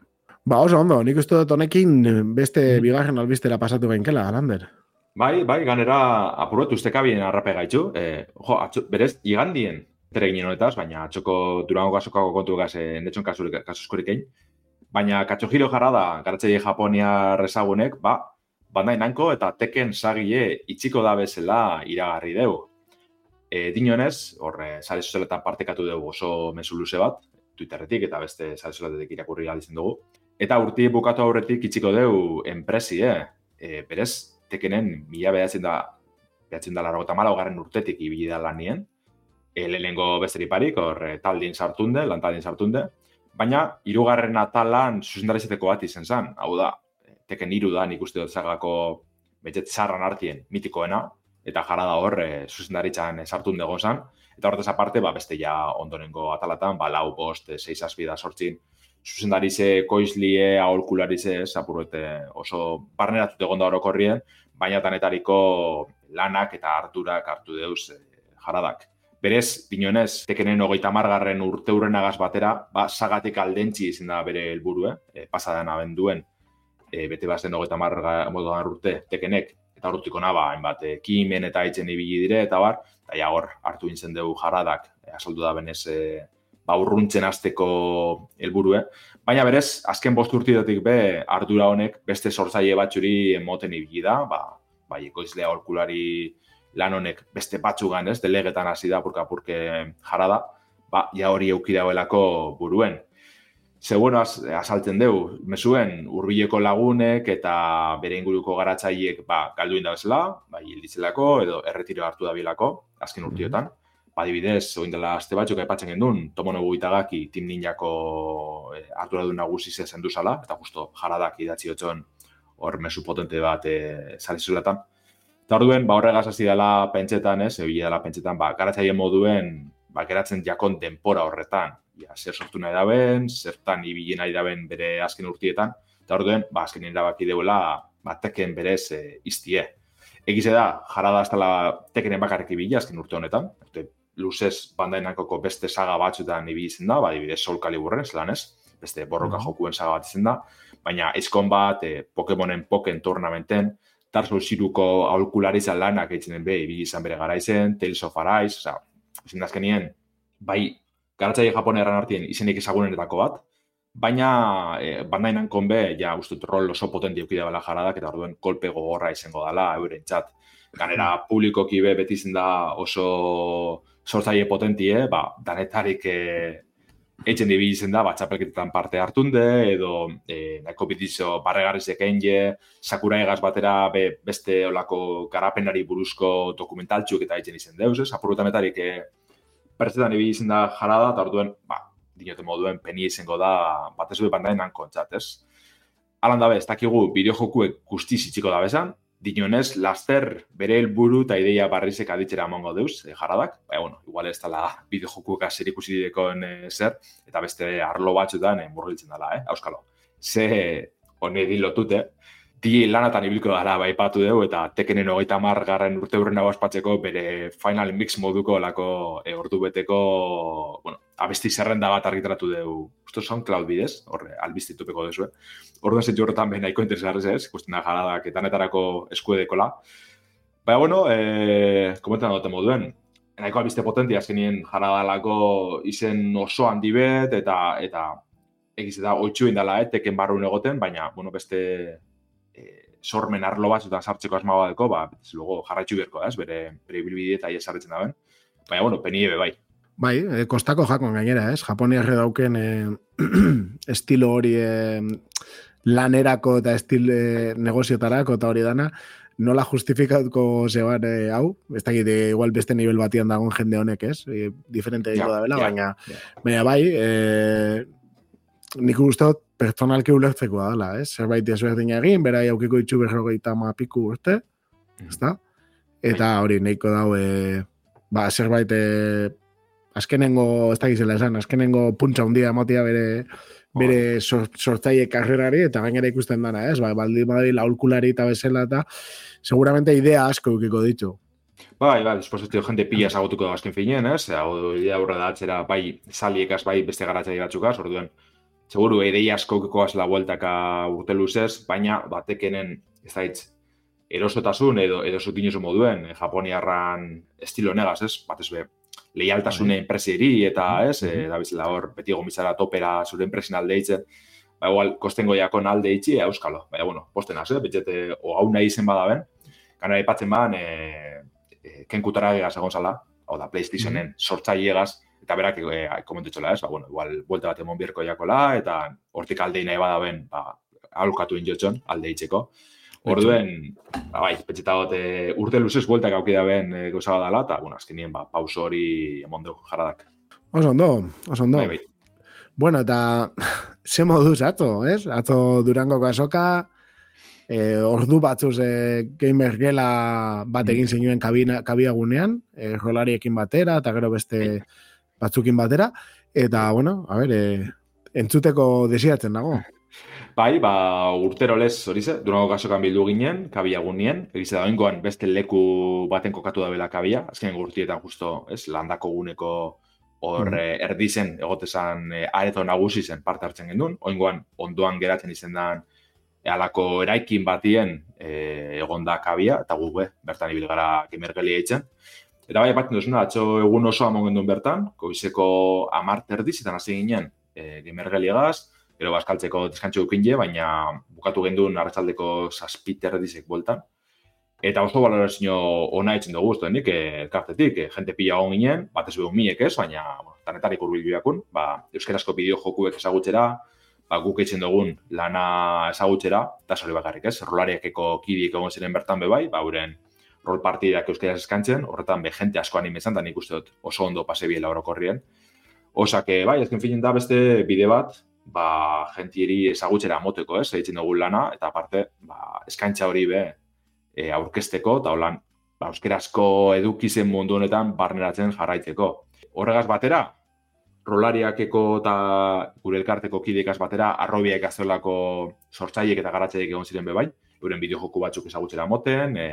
Ba, oso ondo, nik uste dut honekin beste mm. bigarren albistera pasatu gainkela, Lander. Bai, bai, ganera apurat ustekabien arrape gaitxu. Eh, jo, atxo, berez, igandien tere ginen honetaz, baina atxoko Durango kasokako kontu gaz, eh, netxon kasuskorik egin. Baina Katsuhiro Harada, garatzaile Japonia rezagunek, ba, Bandai Namco eta Tekken sagile itxiko da bezala iragarri deu. E, dinonez, horre, sare sozialetan partekatu dugu oso mezu luze bat, Twitterretik eta beste sare sozialetik irakurri galitzen dugu. Eta urti bukatu aurretik itxiko deu enpresi, eh? E, berez, Tekkenen mila behatzen da, behatzen da larrogota malau garren urtetik ibili da lanien. E, lehenengo besteri parik, hor taldin sartunde, lantaldin sartunde. Baina, hirugarren atalan zuzendarizateko bat izen zen. Hau da, Tekken hiru da nik uste dut zagako betxet zarran hartien mitikoena, eta jara da hor zuzendaritzan sartun dugu zen. Eta horretaz aparte, ba, beste ja ondonengo atalatan, ba, lau, bost, seis azpida sortzin, zuzendarize, koizlie, aholkularize, apurrete oso barneratut egon da orokorrien, baina tanetariko lanak eta harturak hartu deuz e, jaradak. Berez, dinonez, Tekkenen hogeita margarren urte hurrenagaz batera, ba, sagatik aldentzi izin da bere helburu, eh? Pasadan abenduen, e, bete bazen hogeita margarren urte Tekkenek, eta urtiko naba, hainbat, ekimen eta itzen ibili dire, eta bar, eta ja hor, hartu intzen dugu jaradak, e, asaldu da benez, e, ba, urruntzen azteko helburue. Baina berez, azken bost urtidotik be, ardura honek beste sortzaile batxuri moten ibili da, ba, bai, ekoizlea aholkulari lan honek beste batzugan, ez, delegetan hasi da, purka-purke jarada, ba, ja hori euki dagoelako buruen. Ze, bueno, az, azaltzen dugu, mesuen hurbileko lagunek eta bere inguruko garatzaileek, ba, galdu indabezela, bai, hilditzelako edo erretiro hartu dabilako, azken urtiotan. Adibidez, oin dela azte batzuk aipatzen gendun, Tomonobu Itagaki Team Ninjako eh, arduradun nagusi zen duzala, eta justo jaradak idatzi otxon hor mesu potente bat eh, zalizulatan. Eta orduen, ba, horregaz hasi dela pentsetan, ez, ebile dela pentsetan, ba, garatzaile moduen, ba, geratzen jakon denpora horretan. Ja, zer sortu nahi daben, zertan ibili nahi daben bere azken urtietan, eta orduen, ba, azken erabaki deuela, ba, Tekken berez e, iztie. Egize da, jarada aztala Tekkenen bakarrik ibili azken urte honetan, urte luzez Bandai Namcoko beste saga batzuetan ibili izan da, ba, adibidez Soul Caliburren, zelan ez, beste borroka jokuen saga bat izan da, baina Ace Combat, e, Pokemonen Poken Tournamenten, Dark Souls hiruko aholkularitza lanak eitzenen be, ibili izan bere garaizen, Tales of Arise, oza, izan da azkenien, bai, garatzaile japoneran artien izenik ezagunenetako bat, baina e, Bandai Namcon be, ja, ustut, rol oso potenti eukidea bela jaradak, eta orduen kolpe gogorra izango dela, euren txat. Ganera, publikoki be beti izan da oso sortzaile potentie, ba, danetarik e, eitzen dibili izan da, ba, txapelketetan parte hartunde, edo e, nahiko bitizo barregarrizek enge, Sakurai egaz batera be, beste olako garapenari buruzko dokumentaltxuk eta eitzen izan deuz, ez? Apurrutanetarik e, pertsetan ibili izan da jarada, eta orduen, ba, dinote moduen penia izango da, bat ez du Bandai Namcon txat, ez? Alan dabe, ez dakigu bideojokuek guztiz itxiko da bezan, dinonez, laster bere helburu eta ideia barrizek aditzera amongo deuz, e, jaradak. Baina, bueno, igual ez dela bideojokuek zer ikusi direkon e, zer, eta beste arlo batzuetan e, murgiltzen dela, eh, auskalo. Ze honegi lotute, di lanatan ibiliko dara baipatu dugu, eta Tekkenen hogeita hamar garren urte hurren hau ospatzeko bere Final Mix moduko lako e, ordu beteko, bueno, abesti zerrenda bat argitaratu dugu, usto SoundCloud bidez, horre, albistitupeko duzu, eh? Orduan zetxu horretan behin nahiko interesgarrez ez, ikusten da jaradak etanetarako eskuedekola. Baina, bueno, e, komentan dute moduen, nahiko albiste potenti azkenien jaradalako izen oso handi bet, eta, eta egiz eta oitxu indala, eh, Tekken barrun egoten, baina, bueno, beste e, sormen arlo batzutan sartzeko asma badeko, ba, luego jarraitxu berko da, ez, bere, bere bilbide eta iesarretzen da ben. Baina, bueno, peniebe bai. Bai, eh, kostako jakon gainera, ez? Japoniarre dauken eh, estilo hori eh, lanerako eta estil eh, negoziotarako eta hori dana, nola justifikatuko zeban eh, hau, ez dakit, eh, igual beste nivel batian dagoen jende honek, ez? Eh, diferente yeah, da bela, yeah, baina, yeah. baina bai, eh, nik uste pertsonalki ulertzekoa dela, ez? Zerbait ezberdin egin, berai aukiko itxu berrogeita ma piku urte, ezta? Eta hori, nahiko daue, ba, zerbait, e, azkenengo, ez da gizela esan, azkenengo puntza hundia emotia bere, bere sortzaile karrerari, eta gainera ikusten dana, ez? Ba, baldi badari laulkulari eta bezala, eta seguramente idea asko eukiko ditu. Bai, bai, dispositio jende pila esagutuko da azken finean, ez? Hau, idea aurra da atzera, bai, saliekaz, bai, beste garatzaile batzukaz, orduen, seguru, ideia asko eukiko azela bueltaka urte luzez, baina batekenen, ez da hitz, erosotasun edo edo zutinuzu moduen, eh, japoniarran estilo negaz, ez? Batez be, leialtasune enpresieri eta, ez? Eh, da bizela hor, beti gomizara topera zure enpresin alde hitzen, ba, igual, kostengo jakon alde hitzi, euskalo. Baina, bueno, postenaz, eh? Betxete, o hau nahi izen badaben, kanara ipatzen badan, eh, eh, kenkutara egaz egon zala, hau da, PlayStationen sortzaile egaz, eta berak, eh, komentutxola, ez? Ba, bueno, igual, buelta bat emon birko jakola, eta hortik aldei nahi badaben, ba, alukatu injotxon, alde hitzeko. Orduen, ba, bai, petxetagot e, urte luzez bueltak aukida ben e, gauza dela, eta, bueno, azkenien, ba, pauso hori emon dugu jarradak. Oso ondo, oso ondo. Bai, bai. Bueno, eta ze moduz atzo, ez? Atzo Durangoko azoka, e, ordu batzuz e, gamer gela bat egin zenuen kabina, kabiagunean, e, rolariekin batera, eta gero beste batzukin batera, eta, bueno, a ber, e, entzuteko desiatzen dago. Bai, ba, urtero lez, hori ze, Durango kasokan bildu ginen, kabia gunien, egize da oingoan beste leku baten kokatu da bela kabia, azken urtietan justo, ez, landako guneko hor mm. erdizen, egotezan e, areto nagusi zen parte hartzen gendun, oingoan ondoan geratzen izen dan e, alako eraikin batien e, egon da kabia, eta gu be, bertan ibil gara gemergelia eitzen. Eta bai, batzen duzuna, atzo egun oso amon gendun bertan, goizeko amart erdizetan hasi ginen e, gemergeliagaz, gero bazkaltzeko deskantxo dukinje, baina bukatu gendun arratsaldeko zazpiter dizek boltan. Eta oso balorazio ona etzen dugu guztu denik, elkartetik, e, jente pila hon ginen, bat ez behun miek ez, baina bueno, tanetarik urbil biakun, ba, euskarazko bideo jokuek ezagutxera, ba, guk etzen dugun lana ezagutxera, eta zori bakarrik ez, rolariakeko kidiek egon ziren bertan bebai, ba, uren rol partidak euskaraz eskantzen, horretan be jente asko animezan, eta nik uste dut oso ondo pase biela orokorrien. Osake, bai, ezken finen da beste bide bat, ba, jentieri ezagutxera moteko, ez, egiten dugun lana, eta aparte, ba, eskaintza hori be, e, aurkezteko, eta holan, ba, euskerazko edukizen mundu honetan barneratzen jarraitzeko. Horregaz batera, rolariakeko eta gure elkarteko kidekaz batera, arrobiak azolako sortzaiek eta garatzaiek egon ziren bebai, euren bideojoku batzuk ezagutxera moten, e,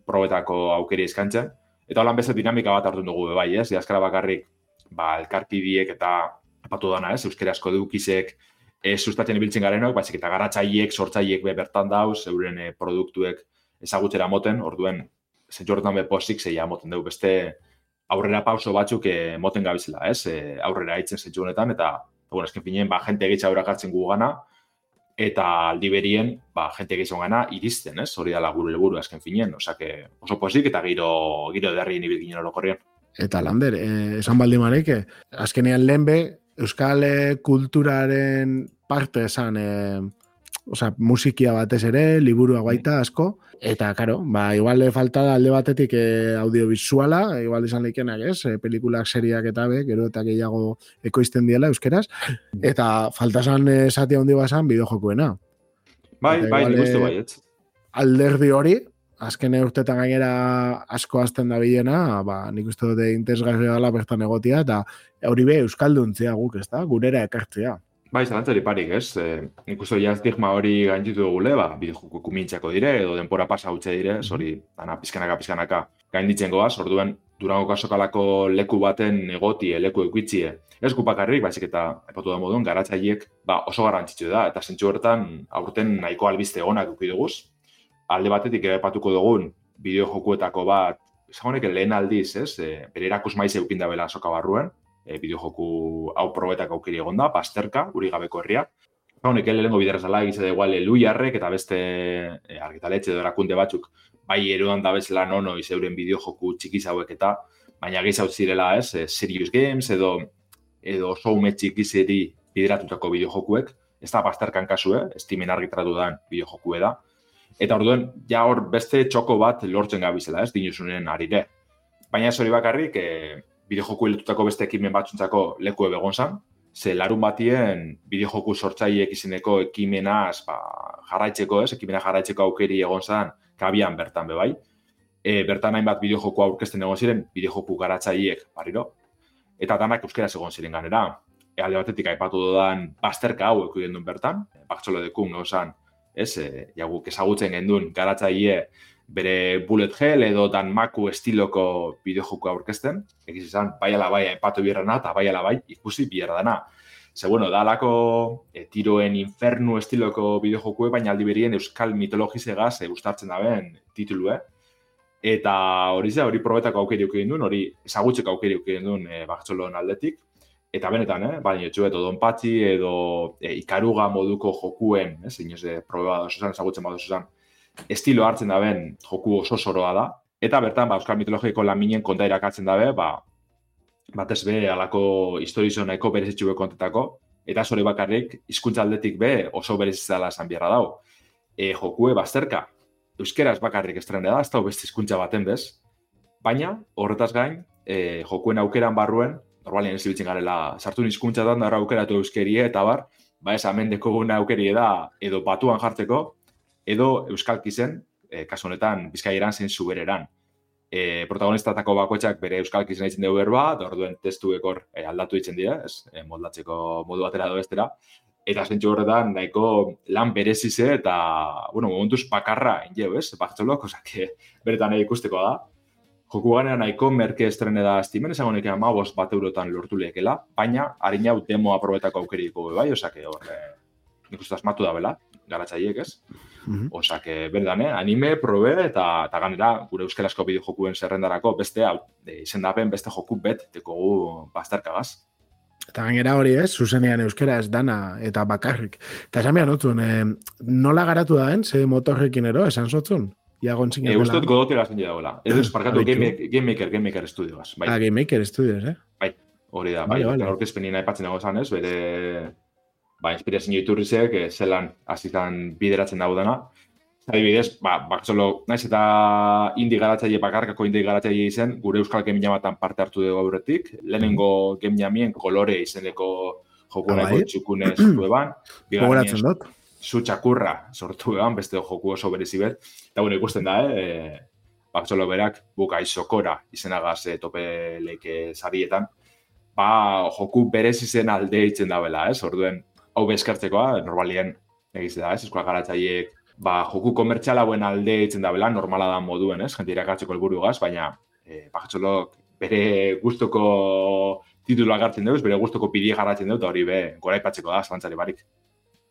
probetako aukeri eskantzen, eta holan beste dinamika bat hartu dugu bebai, ez, azkara bakarrik, ba, elkarkidiek eta apatu dana, ez, euskerazko edukizek ez sustatzen ibiltzen garenok, baizik eta garatzaiek, sortzaiek be bertan dauz, euren e, produktuek ezagutxera moten, orduen, zentzu horretan be posik zeia moten dugu, beste aurrera pauso batzuk e, moten gabizela, ez, e, aurrera hitzen zentzu honetan, eta, bueno, esken finien, ba, jente egitza aurrakartzen gu gana, eta aldi berien, ba, jente egitzen gana iristen, ez, hori dala gure helburu esken finien, osake, oso posik eta giro, giro derrien ibil ginen orokorrien. Eta Lander, eh, esan baldi marek, azkenean lehen be, euskal kulturaren parte esan, e, osea, musikia batez ere, liburua baita asko, eta, karo, ba, igual falta da alde batetik e, audiovisuala, igual izan leikenak, ez, e, pelikulak, seriak eta be, gero eta gehiago ekoizten diela euskeraz, eta falta zan esatia hondi bazan bideojokuena. Bai, eta, bai, nik uste bai, ez. Alderdi hori, azken urtetan gainera asko azten da bilena, ba, nik uste dute interesgarria dela bertan egotia, eta hori be euskalduntzea guk, ez da, gurera ekartzea. Bai, zalantzari parik, ez? E, nik uste ja estigma hori gainditu dugule, ba, bideojoko kumintxako dire, edo denpora pasa hautze dire, hori, dana pizkanaka, pizkanaka gainditzen goaz, orduen Durango kasokalako leku baten egotie, leku eukitzie. Ez gupakarrik, baizik eta, epatu da modun, garatzaiek, ba, oso garrantzitsu da, eta zentsu horretan, aurten nahiko albiste onak eukiduguz, alde batetik epatuko dugun bideojokuetako bat, esagonek lehen aldiz, ez, e, bere erakus maiz eukinda bela soka barruen, e, bideojoku hau probetak aukeri egon da, Pasterka, uri gabeko herria. Esagonek lehengo bideraz dela egize da igual Luiarrek eta beste e, argitaletxe edo erakunde batzuk, bai erudan da bezala nono izeuren bideojoku txikiz hauek eta, baina gehiz hau zirela, ez, e, Serious Games edo edo showme txikizeri bideratutako bideojokuek, ez da Pasterkan kasue, Steamen argitaratu dan bideojokue da. Eta orduen, ja hor beste txoko bat lortzen gabizela, ez, dinuzunen arire. Baina ez hori bakarrik, e, bideojoku hiltutako beste ekimen batzuntzako leku ebegon zan, ze larun batien bideojoku sortzaileek izeneko ekimenaz ba, jarraitzeko, ez? Ekimena jarraitzeko aukeri egon zen, kabian bertan bebai. E, bertan hainbat bideojoku aurkezten egon ziren, bideojoku garatzaileek barriro, eta danak euskeraz egon ziren ganera. E, alde batetik aipatu dudan bazterka hau eko gendun bertan, Bartxolo dekun gauzan, ez, e, jaguk ezagutzen gendun garatzaile bere bullet hell edo Danmaku estiloko bideojoku aurkezten, egiz izan, bai ala bai aipatu bierrana eta bai ala bai ikusi bierra dana. Ze, bueno, da alako e, tiroen infernu estiloko bideojokue, baina aldi berien euskal mitologizegaz e, ustartzen daben titulue. Eta hori ze, hori probetako aukeri eukien duen, hori ezagutzeko aukeri eukien duen e, Bartxolon aldetik. Eta benetan, eh, baina etxu edo Donpatxi edo e, ikaruga moduko jokuen, ez, inoz, e, probeba dozuzan, ezagutzen badozuzan, estilo hartzen daben joku oso soroa da. Eta bertan, ba, euskal mitologiko laminen konta irakatzen dabe, ba, batez be, alako historizo nahiko berezitxu be kontetako, eta zore bakarrik, hizkuntza aldetik be, oso berezitzala esan biarra dau. E, jokue bazterka, euskeraz bakarrik estrene da, ez da beste hizkuntza baten bez, baina, horretaz gain, e, jokuen aukeran barruen, normalien ez ibiltzen garela, sartu hizkuntzatan da aukeratu euskerie, eta bar, ba ez amendeko guna aukerie da, edo batuan jartzeko, edo euskalkizen, e, kasu honetan, bizkaieran zein zubereran. E, protagonistatako bakoitzak bere euskalkizen egiten dugu berba, da orduen testu ekor e, aldatu ditzen dira, ez, e, moldatzeko modu batera edo bestera, eta zentsu horretan nahiko lan berezize eta, bueno, momentuz bakarra injeu, ez, Bartxolok, osak, beretan ikusteko da. Joku ganera nahiko merke estrene da estimen, esango nik amabos bat eurotan lortu lehekela, baina harin hau demo aprobetako aukeriko bai, osak, horre, nik uste asmatu da bela, garatzaiek, ez? Mm-hmm. Osak, berdan, eh? Anime, probe, eta, eta ganera, gure euskarazko bideojokuen zerrendarako beste, e, izendapen beste joku bet, dekogu bazterkagaz. Eta gainera hori ez, zuzenean euskera ez dana eta bakarrik. Eta esan behar notzun, eh, nola garatu da den, ze motorrekin ero, esan zotzun? Iagon zingen dela. E, Uztot godotera zen dagoela. Ez duz, parkatu, Game, Game Maker, Game Maker Studiogaz. Bai. Ah, Game Maker Studios, eh? Bai, hori da, bai. Vale, orkezpenina aipatzen dago zanez, bere, ba, inspirazio iturrizek, zelan azitan bideratzen dago dena. Adibidez, ba, Bartxolo, naiz eta indi garatzaile bakarkako indi garatzaile izen, gure euskal game jamatan parte hartu dugu aurretik. Lehenengo game jamien kolore izeneko jokuneko txukune sortu eban. Gogoratzen dut. Zu txakurra sortu eban, beste joku oso berezi bet. Eta bueno, ikusten da, eh? Bartxolo berak, buka izokora izenagaz e, tope leike sarietan. Ba, joku berezi zen alde itzen dabela, ez? Orduen, hau bezkartzekoa, normalien, egiz da, ez? Euskal garatzaileek ba, joku komertziala buen alde itzen dabela, normala da moduen, ez? Gente irakatzeko helburu gaz, baina e, Bartxolok bere gustoko titulua gartzen deuz, bere gustoko pidie garratzen dut, hori be, gora ipatzeko da, zalantzari barik.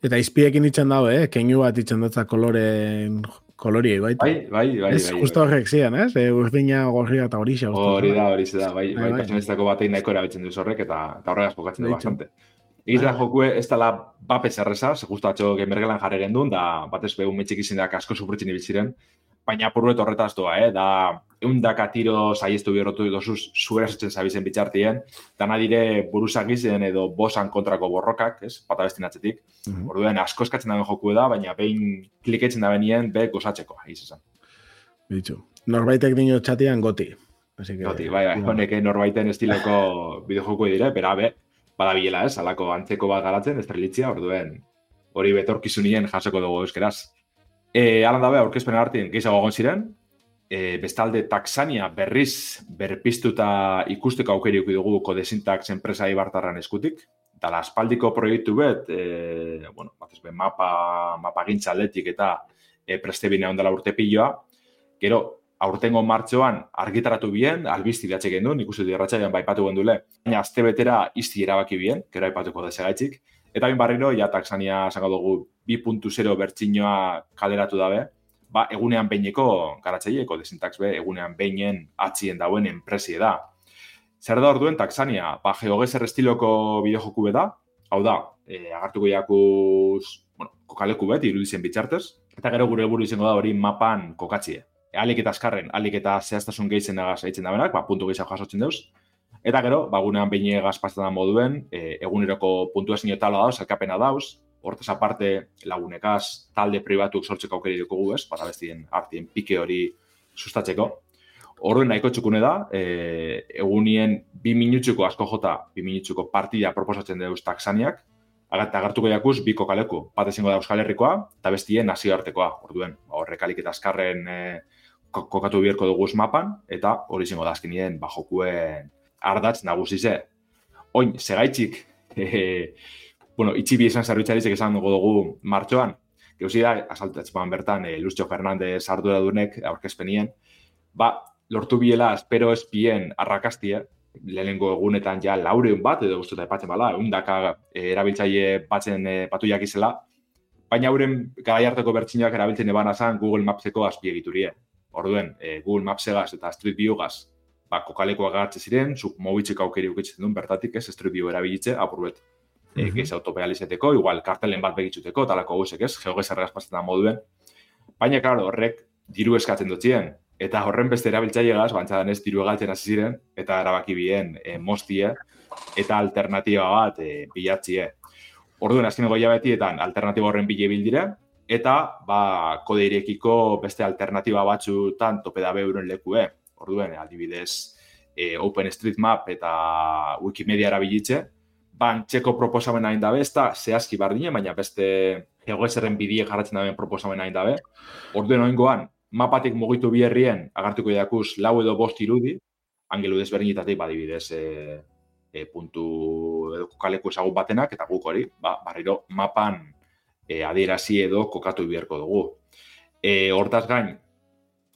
Eta izpiekin itxen dago, eh? Keinu bat itxen dutza koloren koloriei, baita. Bai, bai, bai. Ez, bai, justo bai. horrek zian, ez? E, urdina, gorria eta horixe. Hori da, hori da, bai, bai, bai pertsonezitako batein nahiko erabiltzen duz horrek, eta, eta horregaz pokatzen du bastante. Egiz da jokue, ez dala bapez erreza, ze justu atxo gemergelan jarri gendun, da batez behu metxik izindak asko sufritzen ibiltziren, baina apurruet horretaz doa, eh? Da, eundaka tiro saiestu biorotu dozuz zuerazetzen zabizen bitxartien, dana dire buruzak izen edo bosan kontrako borrokak, ez? Pata bestin atzetik. Mm-hmm. Orduen, asko eskatzen daben joku da, baina behin kliketzen da benien, be gozatzeko, egiz esan. Bitxu. Norbaitek dino txatian goti. Así que, goti, bai, bai, honek norbaiten estiloko bideojoku dire, bera, be, badabilela, ez? Alako antzeko bat garatzen, estrelitzia, orduen, hori betorkizunien jasoko dugu euskeraz. E, Alan dabe, aurkezpen artin, gehiago egon ziren, e, bestalde Taxania berriz berpiztuta ikusteko aukeriuk dugu Codesintax enpresa ibartarran eskutik, eta la aspaldiko proiektu bet, e, bueno, batez be, mapa, mapa gintza aldetik eta e, prestebine ondela urte piloa, gero, aurtengo martxoan argitaratu bien, albizti datxe gendun, ikustu dirratxaian baipatu gendule, baina azte betera izti erabaki bien, gero aipatuko desegaitzik, eta bin barriro, ja Taxania zango dugu bi puntu zero bertsinoa kaleratu dabe, ba, egunean behineko garatzaileeko Codesintax be, egunean beinen atzien dauen enpresie da. Zer da orduen Taxania? Ba, GeoGeser estiloko bideojoku da, hau da, e, agartuko jakuz, bueno, kokaleku bet, irudizien bitxartez, eta gero gure helburu izango da hori mapan kokatzie. E, alik eta askarren, alik eta zehaztasun gehitzen dagaz egiten da benak, ba, puntu gehiago jasotzen deuz. Eta gero, bagunean behin egazpazten da moduen, e, eguneroko puntuazio tala dauz, elkapena dauz, hortaz aparte lagunekaz talde pribatuk sortzeko aukeri dugu ez, para bestien artien pike hori sustatzeko. Orduen nahiko txukune da, e, egunien bi minutxuko asko jota, bi minutxuko partida proposatzen deuz taksaniak, eta agertuko jakuz bi kokaleku, bat ezingo da Euskal Herrikoa, eta bestien nazioartekoa, orduen, horrek alik eta azkarren e, kokatu biherko duguz mapan, eta hori izango da azkenien ba, jokuen ardatz nagusize. Oin, segaitxik, e, bueno, itxibi izan zerbitzarizek esan dugu dugu martxoan, geuzi da, asaltatzen bertan, e, Lucio Fernández arduradunek aurkezpenien, ba, lortu biela, espero ez bien arrakastie, lehenengo egunetan ja laureun bat, edo guztuta epatzen bala, eundaka e, erabiltzaile batzen e, patuiak izela, baina hauren garai harteko bertxinak erabiltzen ebana zan Google Mapseko azpiegiturie. Orduen, e, Google Mapsegaz eta Street Viewgaz, ba, kokalekoak agartze ziren, zuk mobitzeko aukeri ukitzen duen bertatik, ez, Street View erabilitze, apurbet, e, mm-hmm. gez autopealizeteko, igual kartelen bat begitzuteko, talako guzek, ez, geogezarregaz pasetan moduen. Baina, klaro, horrek diru eskatzen dutzien, eta horren beste erabiltzailegaz, bantzadan ez, diru egaltzen hasi ziren, eta erabaki bien e, moztie, eta alternatiba bat e, bilatzie. Orduen, azkeneko hilabetietan alternatiba horren bile bildire, eta ba, kode irekiko beste alternatiba batzutan tope dabe euren lekue. Orduen, adibidez, e, OpenStreetMap eta Wikimedia erabilitze, ban txeko proposamen hain dabe, ez da zehazki bardine, baina beste geogezerren bidie jarratzen daben proposamen hain dabe. Orduen, oingoan, mapatik mugitu bi herrien, agartuko jakuz lau edo bost irudi, angelu desberdinetatik, badibidez, e, e, puntu edo kokaleku ezagun batenak, eta guk hori, ba, barriro mapan e, adierazi edo kokatu biherko dugu. E, hortaz gain,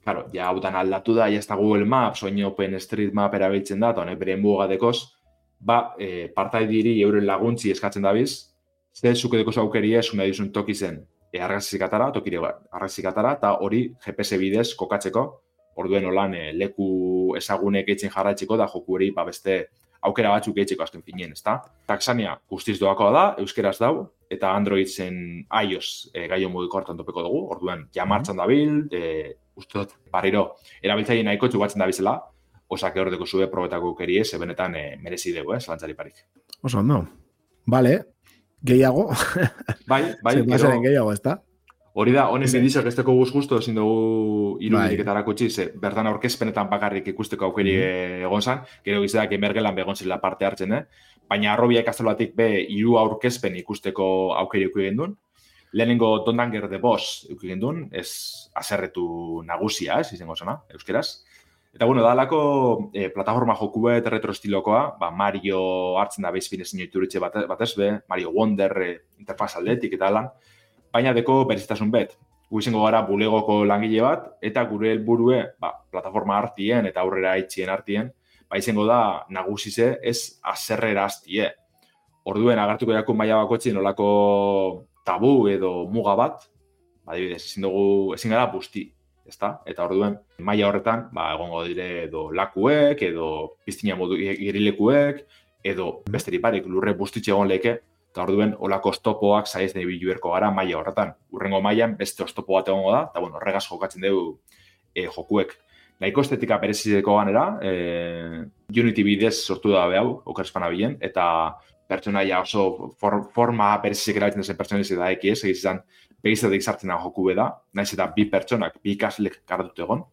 claro, ja hau dan aldatu da, ja ez da Google Maps, oin OpenStreetMap erabiltzen da, eta honek bere mugadekoz, ba, e, partaidiri euren laguntzi eskatzen dabiz, ze zukedeko zaukerie, zuna dizun toki zen, e, argazikatara, tokire argazikatara, eta hori G P S bidez kokatzeko, orduen olan e, leku ezagunek eitzen jarraitzeko, da joku hori ba, beste aukera batzuk eitzeko azken finien, ezta? Taxania guztiz doakoa da, euskeraz dau, eta Android zen iOS e, gaio mugiko hartan topeko dugu, orduen ja martxan dabil, e, uste dut, barriro, erabiltzaile nahiko txugatzen dabizela, osak ehordeko zue probetako kerie, ze benetan e, merezi dugu, eh, zalantzari parik. Oso, no. Vale, gehiago. Bai, bai. Zer gehiago, ez da? Hori da, honen bidizak ez teko guz justo, ezin dugu irudirik eta erakutsi, ze bertan aurkezpenetan bakarrik ikusteko aukeri mm-hmm. egon zan, gero gizeak emergelan begon zela parte hartzen, eh? Baina arrobia ikastoloatik be hiru aurkezpen ikusteko aukeri uki gendun. Lehenengo Dondanger de Boss uki gendun, ez aserretu nagusia, ez izango zana, euskeraz. Eta bueno, dalako eh, plataforma jokuet retro estilokoa, ba, Mario hartzen da bezpin ezin joituritxe batez be, Mario Wonder eh, interfaz aldetik eta lan, baina deko berezitasun bet. Gu izango gara bulegoko langile bat, eta gure helburue ba, plataforma hartien eta aurrera itxien hartien, ba izango da nagusize ez aserrera hastie. Orduen agertuko jakun maila bakotxin olako tabu edo muga bat, ba, adibidez, ezin dugu, ezin gara busti, ezta? Eta orduen maila horretan, ba, egongo dire edo lakuek, edo piztina modu irilekuek, edo besteri parek lurre bustitxe egon leke, eta orduen olako oztopoak saiez nahi biluerko gara maila horretan. Urrengo mailan beste oztopo bat egongo da, eta bueno, horregaz jokatzen dugu e, jokuek. Nahiko estetika berezizeko ganera, e, Unity bidez sortu da behau, okerespana bilen, eta pertsonaia oso for, forma berezizik erabiltzen zen pertsonaiz da ekiez, egiz izan begizatik sartzen da joku beda, naiz eta bi pertsonak, bi ikaslek kartut egon.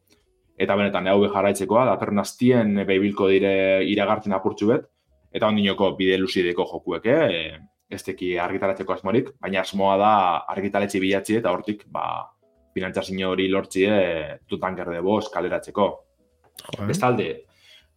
Eta benetan, hau jarraitzekoa, datorren hastien behibilko dire iragartzen apurtxu bet, eta ondinoko bide luzideko jokuek, eh? Ez teki argitaratzeko asmorik, baina asmoa da argitaletxe bilatzi eta hortik ba, finantzazio hori lortzie Dondanger de Boss kaleratzeko. Bestalde,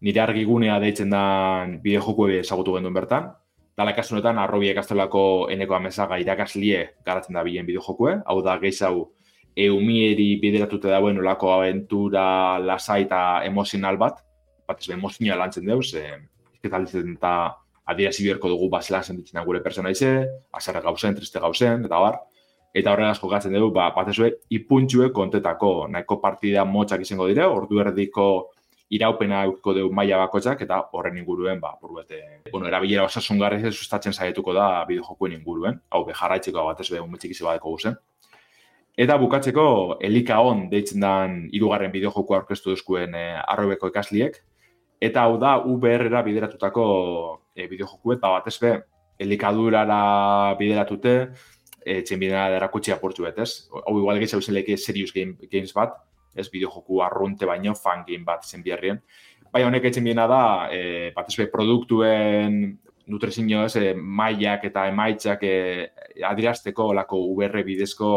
nire argigunea deitzen dan bide joku ezagutu genduen bertan, dala kasunetan arrobi ekastolako eneko amesaga irakaslie garatzen da bilen bide jokue, hau da gehiago eumieri bideratute dauen olako aventura, lasai eta emozional bat, bat ez be emozioa lantzen deuz, eh, izketalitzen eta adierazi biherko dugu bazelan sentitzen gure personaize, azarra gauzen, triste gauzen, eta bar. Eta horregaz jokatzen dugu, ba, batezue, ipuntxue kontetako, nahiko partida motxak izango dire, ordu erdiko iraupena eukiko dugu maila bakotxak, eta horren inguruen, ba, buruete, bueno, erabilera osasungarri sustatzen saietuko da bideojokuen inguruen, hau be, jarraitzeko batezue, unmetxik izabadeko guzen. Eta bukatzeko, Elikaon deitzen dan hirugarren bideojokoa aurkeztu duzkuen eh, arrobeko ikasliek, eta hau da U B R-era bideratutako e, bideojokuet, ba, batez be, elikadurara bideratute, e, txenbidena erakutsi apurtxu bet, ez? Hau igual gehiago zen leke serious game, games bat, ez bideojoku arrunte baino fan game bat zen biherrien. Baina honek etxen biena da, e, bat ezbe produktuen nutrizio ez, e, mailak eta emaitzak e, adirazteko olako U R bidezko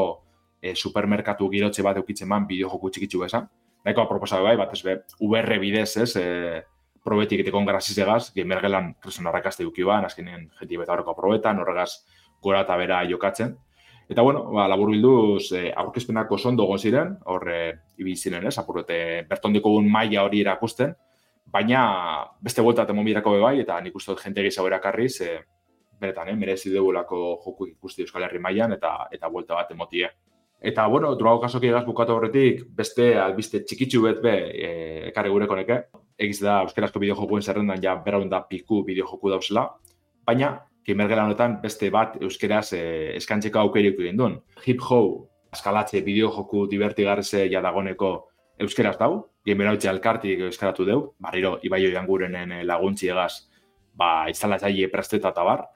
e, supermerkatu girotxe bat eukitzen man bideojoku txikitsu esan. Nahiko aproposa bai, bat ezbe U R bidez ez, e, probetik etekon grazizegaz, gamergelan kresen arrakaste duki ban, azkenean jenti beta horreko probetan, horregaz gora eta bera jokatzen. Eta bueno, ba, labur bilduz, eh, aurkezpenak oso ondo egon ziren, hor eh, ibili ziren, ez, apurrete bertondiko gun maila hori erakusten, baina beste buelta temon birako bebai, eta nik uste dut jente gehiago erakarriz, eh, beretan, eh, merezi dugulako joku ikusti Euskal Herri mailan eta eta buelta bat emotie. Eta, bueno, druago kasoki egaz bukatu horretik, beste albiste txikitsu bet be, eh, ekarri gureko neke, egiz da euskarazko bideojokuen zerrendan ja beraun da piku bideojoku dauzela, baina Gamergela honetan beste bat euskeraz eh, eskantzeko aukerik egin duen. Hip Ho, eskalatze bideojoku divertigarze ja dagoneko euskeraz dau, Gamerhautze alkartik euskaratu deu, barriro Ibaio Iangurenen laguntzi egaz, ba, instalatzaile presteta eta bar.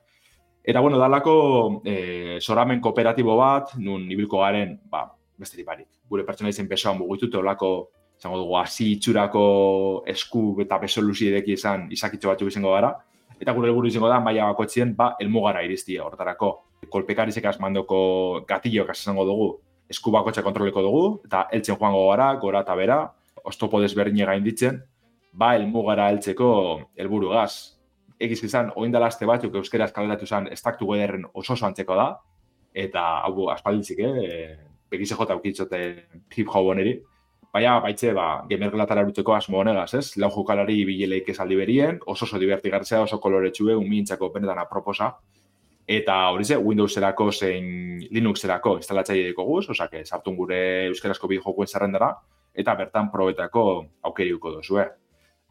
Eta, bueno, dalako eh, soramen kooperatibo bat, nun ibilko garen, ba, besterik barik. Gure pertsona izen pesoan mugitute olako, izango dugu, hasi itxurako esku eta beso luziedeki izan izakitxo batzuk izango gara. Eta gure helburu izango da, maila bakoitzien, ba, helmugara iristia hortarako. Kolpekarizek asmandoko gatilloak izango dugu, esku bakotxa kontroleko dugu, eta heltzen joango gara, gora eta bera, oztopo desberdine gainditzen, ba, helmugara heltzeko helburu gaz. Egiz izan, oindala aste batzuk euskera eskaleratu izan, estaktu goederren oso oso antzeko da, eta hau aspalditzik, eh, begize jota aukitzote hip hop oneri. Baina, baitze, ba, gamergelatara erutzeko asmo honegaz, ez? Lau jokalari bileleik esaldi berien, oso oso divertigartzea, oso koloretxue, umintzako benetan aproposa. Eta hori ze, Windowserako zein Linuxerako instalatzaile deko guz, osake, sartun gure euskarazko bideojokuen zerrendara, eta bertan probetako aukeriuko dozue.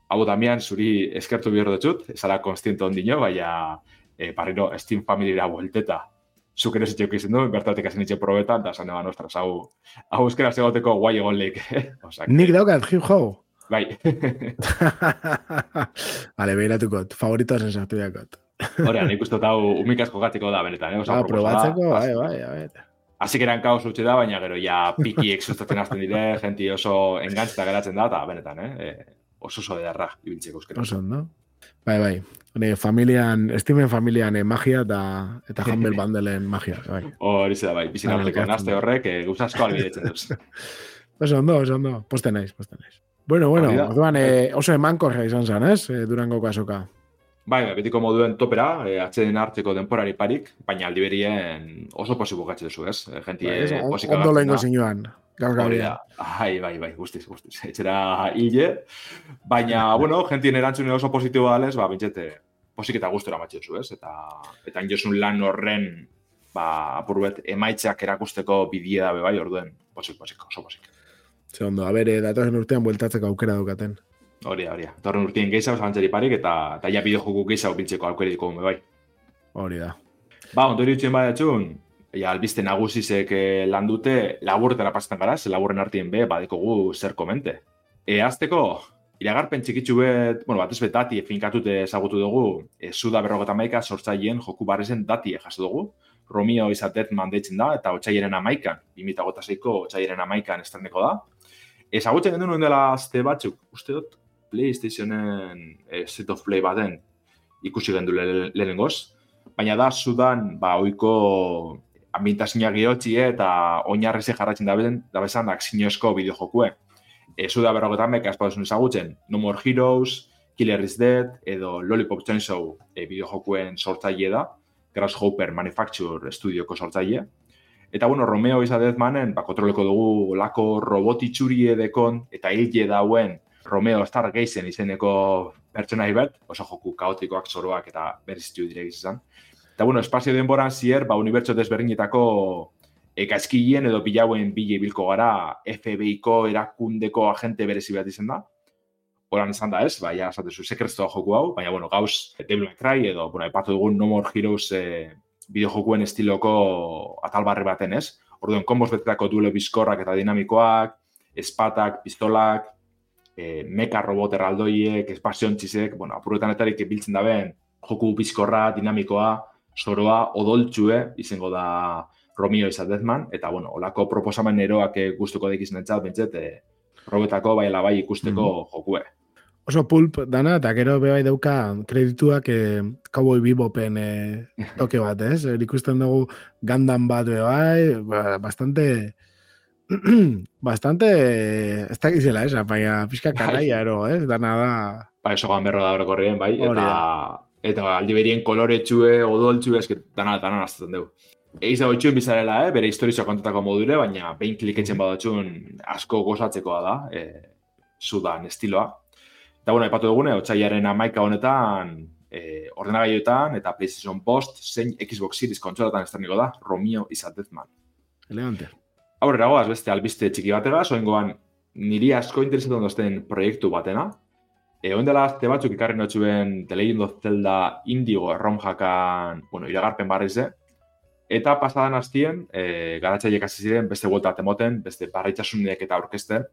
Hau damian, zuri eskertu bihor dutxut, esala konstiento ondino, baina e, barriro Steam Familyra buelteta. Zuk ere zitxeuk izan du, bertatik hasen itxe probetan, eta zan eban, ostras, hau, hau euskera zegoteko guai egon leik. Nik daukat, hip hop. Bai. Vale, behiratukot, favorito zen sartu dakot. Horean, nik uste hau umikasko gatiko da, benetan, eh? Ah, probatzeko, bai, bai, bai. Hasik eran kaos utxe da, baina gero ja pikiek sustatzen hasten dire, genti oso engantzita geratzen da, eta benetan, eh? Oso oso edarra, ibiltzeko euskera. Oso, no? Bai, bai. Hore, familian, Steamen familian eh, magia eta eta Humble Bundleen magia. Bai. Hori da, bai. Bizin arteko nazte horrek, eh, gauzasko albidetzen duz. Oso ondo, oso ondo. Poste naiz, poste naiz. Bueno, bueno, orduan, eh, oso emankorra izan zen, ez? Eh, Durango kasoka. Bai, betiko moduen topera, eh, atxeden hartzeko denporari parik, baina aldi berien oso posiko gatxe duzu, ez? Genti bai, ez, posika ondo lehenko zinuan. Hori da, bai, bai, bai, guztiz, guztiz. Etxera hile, baina, bueno, gentien erantzune oso positiboa dalez, ba, bintxete, posik eta gustora matxe duzu, ez? Eta, eta injosun lan horren, ba, apurbet, emaitzak erakusteko bidie da bai, orduen, posik, posik, oso posik. Ze ondo, abere, datorren urtean bueltatzeko aukera dukaten. Hori da, hori da. Datorren urtien gehiago zabantzari parik, eta, eta ja bideojoku gehiago bintzeko aukera diko bai. Hori da. Ba, ondori utxien badiatxun, ja, albiste nagusizek eh, lan dute, laburretara pasetan gara, ze laburren artien be, badekogu zer komente. E, azteko, iragarpen txikitsu bet, bueno, batez bet dati finkatute ezagutu dugu, e, Suda berrogeta maika sortzaien joku barrezen dati jaso dugu. Romeo izatet mandeitzen da, eta otxaieren amaikan, bimita gota zeiko otxaieren amaikan estreneko da. Ezagutzen gendu nuen dela azte batzuk, uste dut, PlayStationen e, State of Play baten ikusi gendu le, lehenengoz, baina da Sudan, ba, oiko ambientazioa gehotzi eta oinarrize jarratzen da bezan akzinozko bideojokue. E, Suda berrogetan beka espaduzun ezagutzen, No More Heroes, Killer is Dead, edo Lollipop Chainsaw e, bideojokuen sortzaile da, Grasshopper Manufacture Studioko sortzaile. Eta, bueno, Romeo izadezmanen, ba, kontroleko dugu lako robotitxuri edekon eta hile dauen Romeo Stargazen izeneko pertsonai bat, oso joku kaotikoak, zoroak eta berrizitu direk izan. Eta, bueno, espazio denboran zier, ba, unibertso desberdinetako ekaizkilien edo bilauen bile bilko gara F B I-ko erakundeko agente berezi bat izan da. Horan izan da ez, ba, ja, esatezu, sekrestoa joku hau, baina, bueno, gauz, Devil May Cry edo, bueno, epatu dugun No More Heroes eh, bideojokuen estiloko atalbarri baten ez. Orduan, konboz betetako duelo bizkorrak eta dinamikoak, espatak, pistolak, eh, meka robot erraldoiek, espaziontxizek, bueno, apuruetan etarik biltzen da ben, joku bizkorra, dinamikoa, zoroa, odoltxue, izango da Romeo izadezman, eta, bueno, olako proposamen eroak gustuko dekizun entzat, bentzet, eh, probetako bai ala bai ikusteko Mm-hmm. jokue. Oso pulp dana, eta gero bebai dauka kredituak eh, Cowboy Bebopen eh, toke bat, ez? Er, ikusten dugu Gundam bat bebai, ba, bastante... bastante... Ez da gizela, ez? Baina pixka karaia, ero, ez? Dana da... Ba, eso ganberro da horrekorrien, bai, Hori eta... da. Eta aldi berien koloretxue, odoltxue, eski dana, dana nazten dugu. Eiz dago itxuen bizarela, eh? Bere historizioa kontatako modure, baina behin kliketzen badatxun asko gozatzekoa da, eh, sudan estiloa. Eta, bueno, epatu dugune, otxaiaren amaika honetan, eh, ordenagailuetan eta PlayStation Post, zein Xbox Series kontsolatan estreniko da, Romeo is a Deathman. Elegante. Aurrera goaz, beste albiste txiki batega, soingoan niri asko interesatu ondozten proiektu batena. E, Oindela azte batzuk ikarri notxuen The Legend of Zelda Indigo ROM-jakan, bueno, iragarpen barrize. Eta pasadan hastien, e, garatzaileek hasi ziren beste buelta temoten, beste barritxasunek eta aurkezten,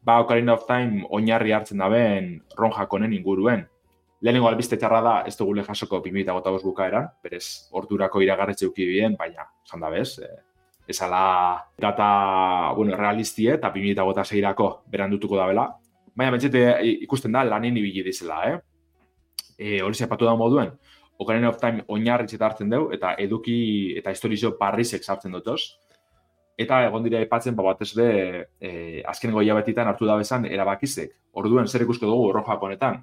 ba, Ocarina of Time oinarri hartzen daben ROM-jak honen inguruen. Lehenengo albiste txarra da, ez dugule jasoko bi mila hogeita bost bukaeran, berez ordurako iragarretxe uki bien, baina, esan da bez, e, ezala data, bueno, realistie eta bi mila hogeita seirako berandutuko da bela. Baina bentsete ikusten da lanin ibili dizela, eh? E, hori zepatu da moduen, Ocarina of Time oinarritzeta hartzen dugu, eta eduki eta historizio barrizek sartzen dutoz. Eta egon dira aipatzen, ba, batez be, e, azkenengo hilabetitan hartu da bezan erabakizek. Orduen zer ikusko dugu ROM-jak honetan.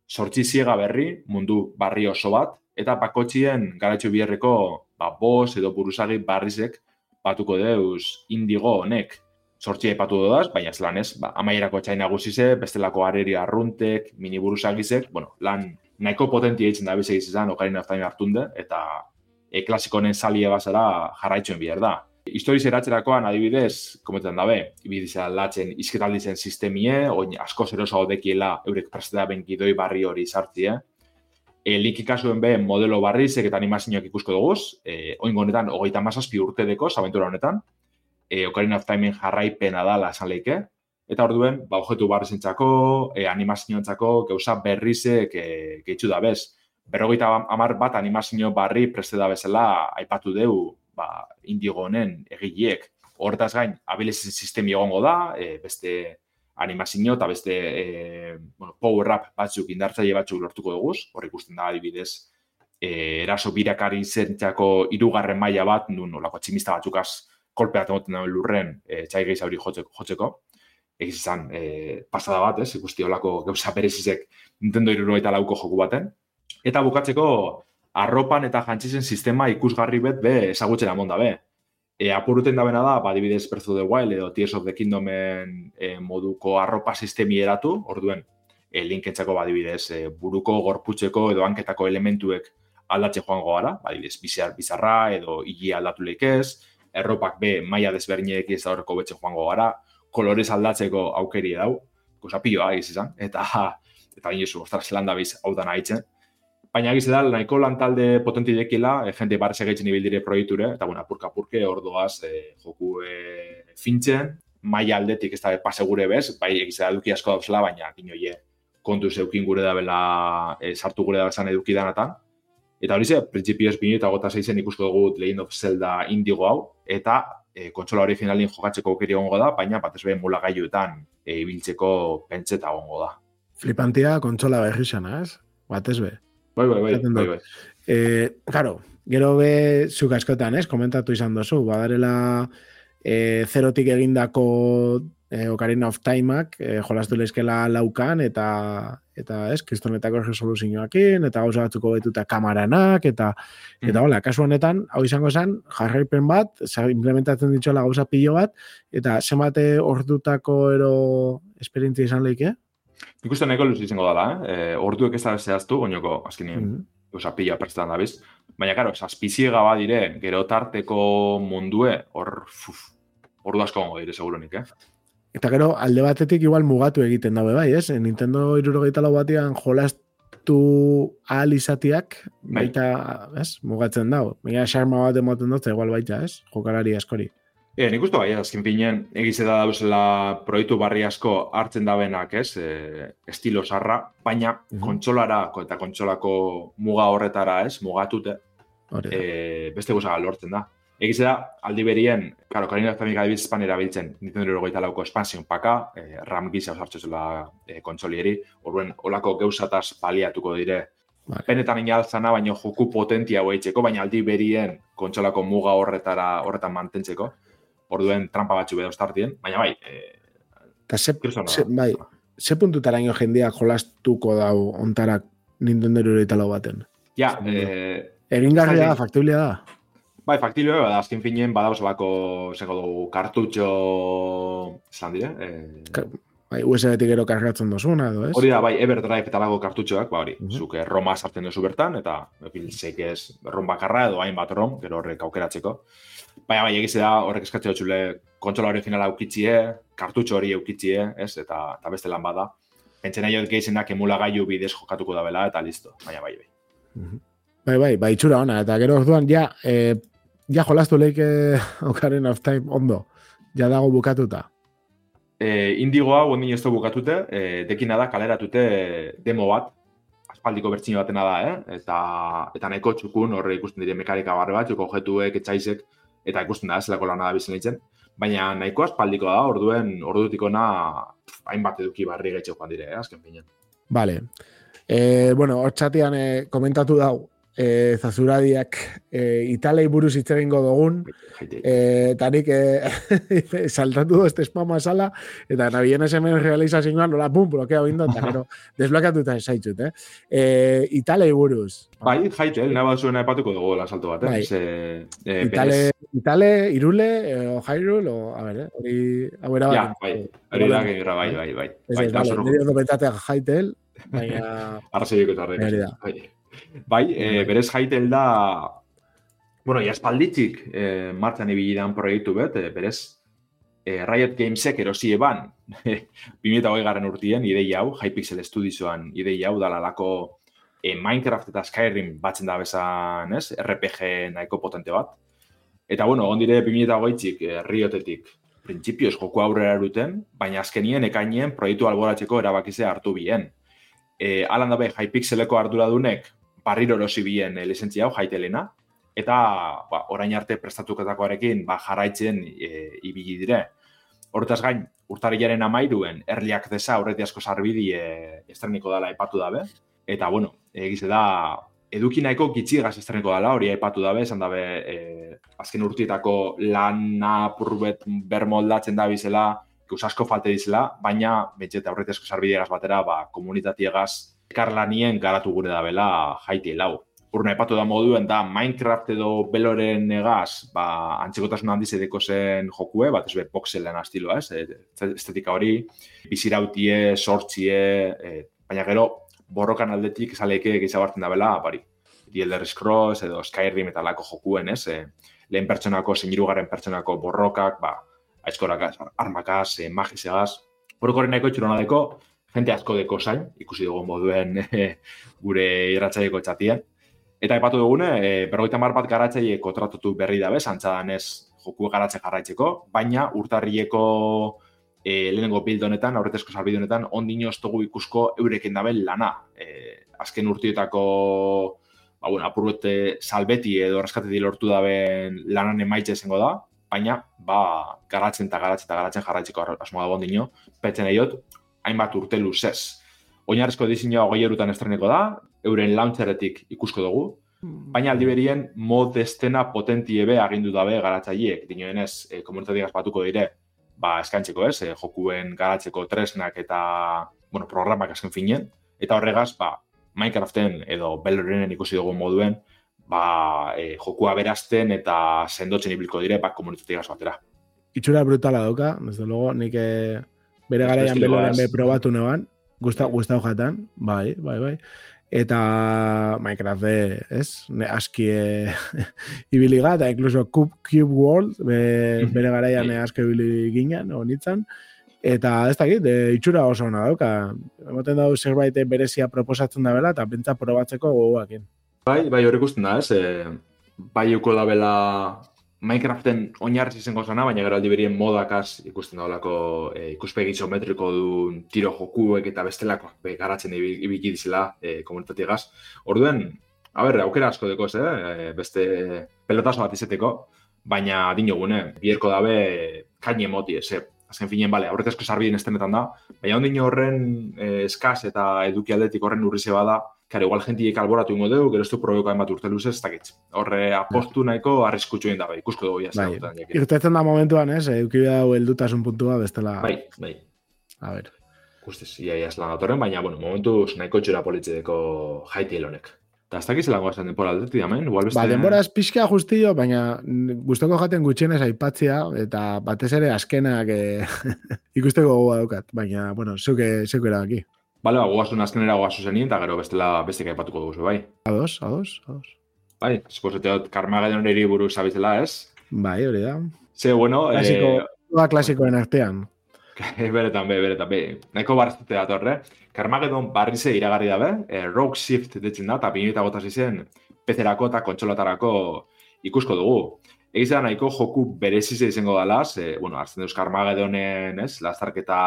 Sortzi ziega berri, mundu barri oso bat, eta bakotxien garatxo biherreko ba, boss edo buruzagi barrizek batuko deuz indigo honek. Sortzi aipatu dodaz, baina ez lan ez, ba, amaierako txain nagusize, bestelako areri arruntek, mini buruzagizek, bueno, lan nahiko potentia eitzen da bize izan Ocarina of Time hartunde, eta e, klasikonen salie bazara jarraitzuen bihar da. Historiz eratzerakoan adibidez, komentan dabe, ibidizea latzen izketaldizen sistemie, oin asko zeroso dekiela eurek presteda benkidoi barri hori sartzie. E, Link ikasuen be modelo barrizek eta animazioak ikusko duguz, e, oin honetan hogeita hamazazpi urte dekoz, abentura honetan, e, Ocarina of Timeen jarraipena dala esan leike, eta orduen, ba, objetu barrizentzako, e, animazioentzako, gauza berrizek e, gehitzu da bez. Berrogeita hamar bat animazio barri preste da bezala aipatu deu, ba, Indigo honen egileek. Hortaz gain, abilizien sistemi egongo da, e, beste animazio eta beste e, bueno, power-up batzuk, indartzaile batzuk lortuko duguz, hor ikusten da adibidez, e, eraso birakari zentzako hirugarren maila bat, nun olako tximista batzukaz kolpeat emoten dauen lurren e, txai gehiza hori jotzeko. Egiz izan, e, pasada bat, ez, ikusti olako gauza berezizek Nintendo hirurogeita lauko joku baten. Eta bukatzeko, arropan eta jantzizen sistema ikusgarri bet be ezagutzen amon da be. E, apuruten dabena da, ba, adibidez Breath of the Wild edo Tears of the Kingdomen e, moduko arropa sistemi eratu, orduen, e, linkentzako ba, adibidez e, buruko, gorputzeko edo hanketako elementuek aldatzen joango gara, ba, adibidez bizar, bizarra edo higi aldatu leikez, erropak be maila desberdinek ez da horreko betxe joango gara, kolorez aldatzeko aukeri dau, goza pilloa egiz izan, eta eta inozu, ostras, zelan da biz hau da nahitzen. Baina egiz da, nahiko lantalde potenti dekila, e, jente barrese gaitzen ibildire proiekture, eta bueno, apurka-apurke ordoaz e, joku e, fintzen, maila aldetik ez da pasegure bez, bai egiz da eduki asko dauzela, baina ginoie kontuz eukin gure da bela, e, sartu gure da bezan eduki danatan. Eta hori ze, printzipioz bine eta gota zeizen ikusko dugu Legend of Zelda Indigo hau, eta e, kontsola originalin jokatzeko aukeri egongo da, baina batez behin mulagailuetan e, ibiltzeko pentseta egongo da. Flipantia kontsola berri xana, ez? Batez be. Bai, bai, bai, bai, bai. Eh, claro, gero be zuk askotan, ez? Komentatu izan dozu, badarela eh, zerotik egindako eh, Ocarina of Timeak eh, jolastu lezkela laukan, eta, eta ez, kristonetako resoluzioakin, eta gauza batzuko betuta kamaranak, eta, mm. eta hola, kasu honetan, hau izango zen, jarraipen bat, implementatzen ditxola gauza pilo bat, eta zenbate ordutako ero esperientzia izan leike? Nik uste nahiko luz izango dela, eh? E, orduek ez da zehaztu, oinoko, azkenien, mm -hmm. oza, pila prestan da biz. Baina, karo, zazpiziega bat dire, gero tarteko mundue, hor, fuf, ordu asko gongo dire, segurunik, eh? Eta gero, alde batetik igual mugatu egiten dabe bai, ez? Nintendo hirurogeita lau batean jolastu ahal izatiak, baita, ez? Mugatzen dago. Baina, xarma bat emoten dut, igual baita, ez? Jokalari askori. E, nik uste bai, azken pinen, egize da dauzela proiektu barri asko hartzen dabenak, ez, e, estilo sarra, baina uh-huh. kontsolara eta kontsolako muga horretara, ez, mugatute, e, beste gozak lortzen da. Egiz da, aldi berien, karo, Karina Zamik adibidez espan erabiltzen, Nintendo hirurogeita lauko expansion paka, eh, RAM gisa osartzu zela eh, kontsolieri, orduen, olako geusataz paliatuko dire. Vale. Benetan inaltzana, baina joku potentia hoitzeko, baina aldi berien kontsolako muga horretara horretan mantentzeko. Orduen trampa batzu bedo startien, baina bai, eh, Ta ze, ze, bai, ze puntutaraino jendeak jolastuko dau ontarak Nintendo hirurogeita lau baten? Ja, eh, egingarria da, faktiblia da. Bai, faktiloa da, azken finean badauz bako, zeko dugu, kartutxo, zelan dire? Eh... Ka, bai, U S B-tik gero kargatzen dozuna, edo ez? Hori da, bai, Everdrive eta lago kartutxoak, ba hori, uh -huh. Zuke Roma sartzen duzu bertan, eta biltzek ez Rom bakarra edo hainbat Rom, gero horrek aukeratzeko. Baina, bai, egize da, horrek eskatzea dutxule, kontsola originala aukitzie, kartutxo hori aukitzie, ez? Eta, eta beste lan bada. Pentsen nahi hori geizenak emulagailu bidez jokatuko da bela, eta listo. Baina, bai, bai. Uh -huh. Bai, bai, bai, itxura ona, eta gero orduan, ja, eh, ja jolastu leike Ocarina of Time ondo, ja dago bukatuta. E, Indigoa, ondin ez da bukatute, e, dekina da kaleratute demo bat, aspaldiko bertsio batena da, eh? eta, eta nahiko txukun, horre ikusten dire mekarika barre bat, txuko objetuek, etxaizek, eta ikusten da, zelako lana da bizen litzen. Baina nahiko aspaldiko da, orduen, ordutikona hainbat eduki barri gaitxo joan dire, eh? Azken finean. Vale. E, bueno, hor txatian e, komentatu dau, E, zazuradiak e, Italei buruz hitz egingo dugun, e, eta nik e, saltatu dozte spama sala, eta nabien esemen realizazioan nola pum, blokea bindo, eta gero desblokatuta esaitzut, eh? E, Italei buruz. Bai, jaitel, nahi bat zuen epatuko dugu la salto bat, eh? Bai. Se, e, Itale, Itale, Irule, e, o Jairul, o, a ver, eh? Hori, hau era bat. Ja, bai, hori da, bai, bai, bai, bai. Ez ez, vale, nire ondo betatea jaitel, baina... Arrazoiko eta horrek. Bai, e, berez jaitel da, bueno, jaspalditzik e, martxan ibili dan proiektu bet, e, berez e, Riot Gamesek erosi eban bi mila hogei garren urtien ideia hau, Hypixel Studiosoan ideia hau dalalako e, Minecraft eta Skyrim batzen da bezan, ez? R P G nahiko potente bat. Eta, bueno, ondire bi mila hogeitzik e, Riotetik printzipioz joku aurrera eruten, baina azkenien ekainien proiektu alboratzeko erabakizea hartu bien. E, alan dabe, Hypixeleko arduradunek barriro erosi bien e, lizentzia hau, jaitelena, eta ba, orain arte prestatuketakoarekin ba, jarraitzen e, ibili dire. Horretaz gain, urtarrilaren amairuen erliak desa horreti asko sarbidi e, estreniko dala epatu dabe, eta bueno, egize da, eduki nahiko gitxigaz estreniko dala, hori epatu dabe, esan dabe, e, azken urtietako lana purbet bermoldatzen da bizela, ikusi asko falte dizela, baina betxeta horreti asko sarbidiegaz batera, ba, komunitatiegaz karlanien garatu gure da bela jaiti lau. Urna epatu da moduen da Minecraft edo Beloren egaz, ba, antzekotasun handiz edeko zen jokue, bat ez be voxelen astiloa, ez? Estetika hori, bizirautie, sortzie, e, baina gero borrokan aldetik esaleike gizabartzen da bela, bari, The Elder Scrolls edo Skyrim eta lako jokuen, ez? E, lehen pertsonako, zein hirugarren pertsonako borrokak, ba, aizkorakaz, armakaz, e, magizegaz. Horrekoren nahiko txurona deko, jente asko deko zain, ikusi dugu moduen e, gure irratzaileko txatien. Eta epatu dugune, e, berrogeita hamar bat garatzaile kontratutu berri dabe, antzadan ez joku garatze jarraitzeko, baina urtarrileko e, lehenengo build honetan, aurretezko salbide honetan, ondino ez dugu ikusko eureken daben lana. E, azken urtietako, ba, bueno, apurbete salbeti edo raskateti lortu daben lanan emaitze izango da, baina ba, garatzen eta garatzen eta garatzen jarraitzeko asmoa dago ondino, petzen eiot, hainbat urte luzez. Oinarrizko diseinua hogei erutan estreneko da, euren launcheretik ikusko dugu, baina aldi berien mod estena potentie be agindu dabe garatzaileek, dinoenez, e, komunitateak batuko dire, ba, eskantzeko ez, e, jokuen garatzeko tresnak eta, bueno, programak azken finen, eta horregaz, ba, Minecraften edo Belorenen ikusi dugu moduen, ba, e, jokua berazten eta sendotzen ibiliko dire, ba, komunitateak batera. Itxura brutala dauka, desde luego, nik e, bere garaian Beloren be probatu neban, Gustau, gustau jatan, bai, bai, bai. Eta Minecraft de, ez? Ne, aski e, ibiliga, eta incluso Cube, Cube World, be, bere garaian aski ibili ginen, honitzen. Eta ez dakit, e, itxura oso hona dauka. Emoten dago zerbait berezia proposatzen da bela, eta pentsa probatzeko gogoakin. Bai, bai, hori ikusten da, ez? E, bai euko da bela Minecraften oinarriz izango zana, baina gero aldi berien modakaz ikusten daulako e, ikuspegi isometriko duen tiro jokuek eta bestelakoak garatzen ibiki dizela e, komunitatiegaz. Orduen, a ber, aukera asko dekoz, eh? E, beste pelotazo bat izeteko, baina dinogune, bierko dabe kaini emoti, ez, azken finen, bale, aurretazko sarbideen estenetan da, baina ondino horren eh, eskaz eta eduki aldetik horren urrize bada, kare, igual jentiek alboratu ingo dugu, gero ez du proiokaen bat urte luzez, ez dakit. Horre apostu nahiko arriskutxuen da, bai, ikusko dugu jazta. Bai, irtetzen da momentuan, ez, eduki dau heldutasun puntua bestela. Bai, bai. A ver. Guztiz, ia ia zelan datorren, baina, bueno, momentuz nahiko txura politzideko jaiti honek. Eta ez dakiz zelango azan denbora aldetik damen, igual beste... Ba, denbora ez pixka justillo, baina gustoko jaten gutxienez aipatzea, eta batez ere azkenak eh, ikusteko gogoa daukat, baina, bueno, zeuke, zeuke erabaki. Bale, ba, goazun azkenera goazu zenien, eta gero bestela bestek aipatuko dugu, bai. Ados, ados, ados. Bai, esposeteot, Carmageddon eri buruz zabizela, ez? Bai, hori da. Ze, bueno... Klasiko, eh... klasikoen artean. beretan, be, beretan, be. Nahiko baraztute datorre. Carmageddon barrize iragarri dabe, eh, Rogue Shift ditzen da, eta pinita gotaz izen, pezerako eta kontsolatarako ikusko dugu. Egiz da nahiko joku berezize izango dalaz, eh, bueno, hartzen deuz Carmageddonen, ez, lastarketa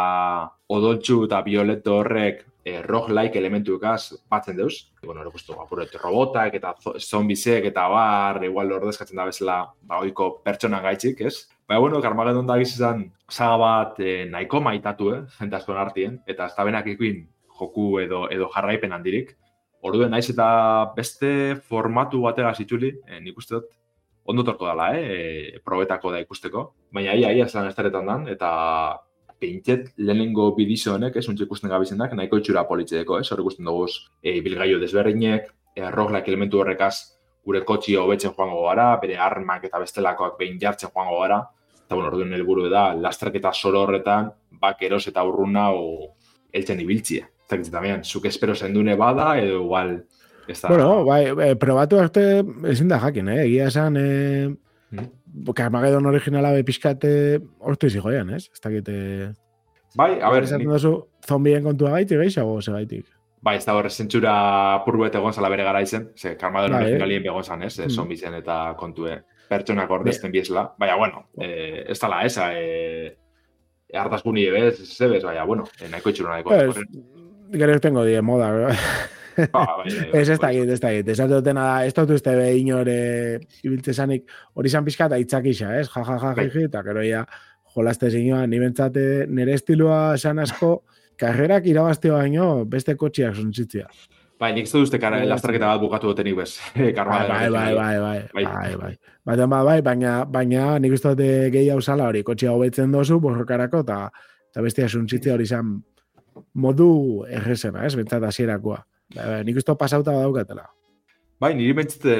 odoltxu eta violeto horrek eh, roguelike elementuekaz batzen deuz. Bueno, hori guztu, apuret, robotak eta zombisek eta bar, igual ordezkatzen da bezala, ba, oiko pertsonan gaitxik, ez? Baina, bueno, Carmageddon da izan saga bat eh, nahiko maitatu, eh, jente askoan artien, eta ez da benak ikuin joku edo, edo jarraipen handirik. Orduen naiz eta beste formatu batega zituli, eh, nik uste dut, ondo torko dala, eh, e, probetako da ikusteko. Baina ia, ia zelan estaretan dan, eta peintzet lehenengo bidizo honek, ez, untxe ikusten gabizendak, nahiko itxura politxedeko, ez, hor ikusten dugu e, bilgaio desberdinek, e, roguelike elementu horrekaz, gure kotxi hobetzen joango gara, bere armak eta bestelakoak behin jartzen joango gara, eta bueno, orduen helburu da, lastraketa soro horretan, bak eros eta urruna o eltzen ibiltzia. Eta gitzetamean, zuk espero zendune bada, edo igual... Esta... Bueno, bai, eh, probatu arte ezin da jakin, eh? Egia esan, eh, mm. Carmageddon originala be pixkate hortu izi joian, ez? Ez dakit... Bai, a ber... Esaten duzu, zombien kontua gaitik, geixago, ze gaitik? Bai, ez da horre zentsura purbuet egon zala bere gara izen, ze Carmageddon bai, originalien begon zan, ez? Mm. Zombien eta kontue pertsonak ordezten biesla. Baina, bueno, eh, ez tala esa, eh, hartazkuni ebez, ez ebez, baina, bueno, eh, nahiko itxura nahiko. Pues, gero tengo die moda, bro. Ah, bai, bai, ez ez dakit, ez dakit. Ez dutena da, ez dut uste behin hori ibiltze zanik, hori izan pixka eta itzakisa, ez? Ja, ja, ja, jiji, eta gero ya jolazte zinioan, ni bentsate nire estiloa esan asko, karrerak irabazteo baino beste kotxiak zontzitzia. Bai, nik zut uste kara lastarketa bat bukatu dutenik bez. Bai, bai, bai, bai, bai, bai, bai. Baten bat, bai, baina, baina nik uste dute gehi hau zala hori, kotxia hobetzen dozu, borrokarako, eta bestia zontzitzia hori izan modu errezena, ez? Bentsat hasierakoa. Ba, nik uste pasauta badaukatela. Bai, niri bentsete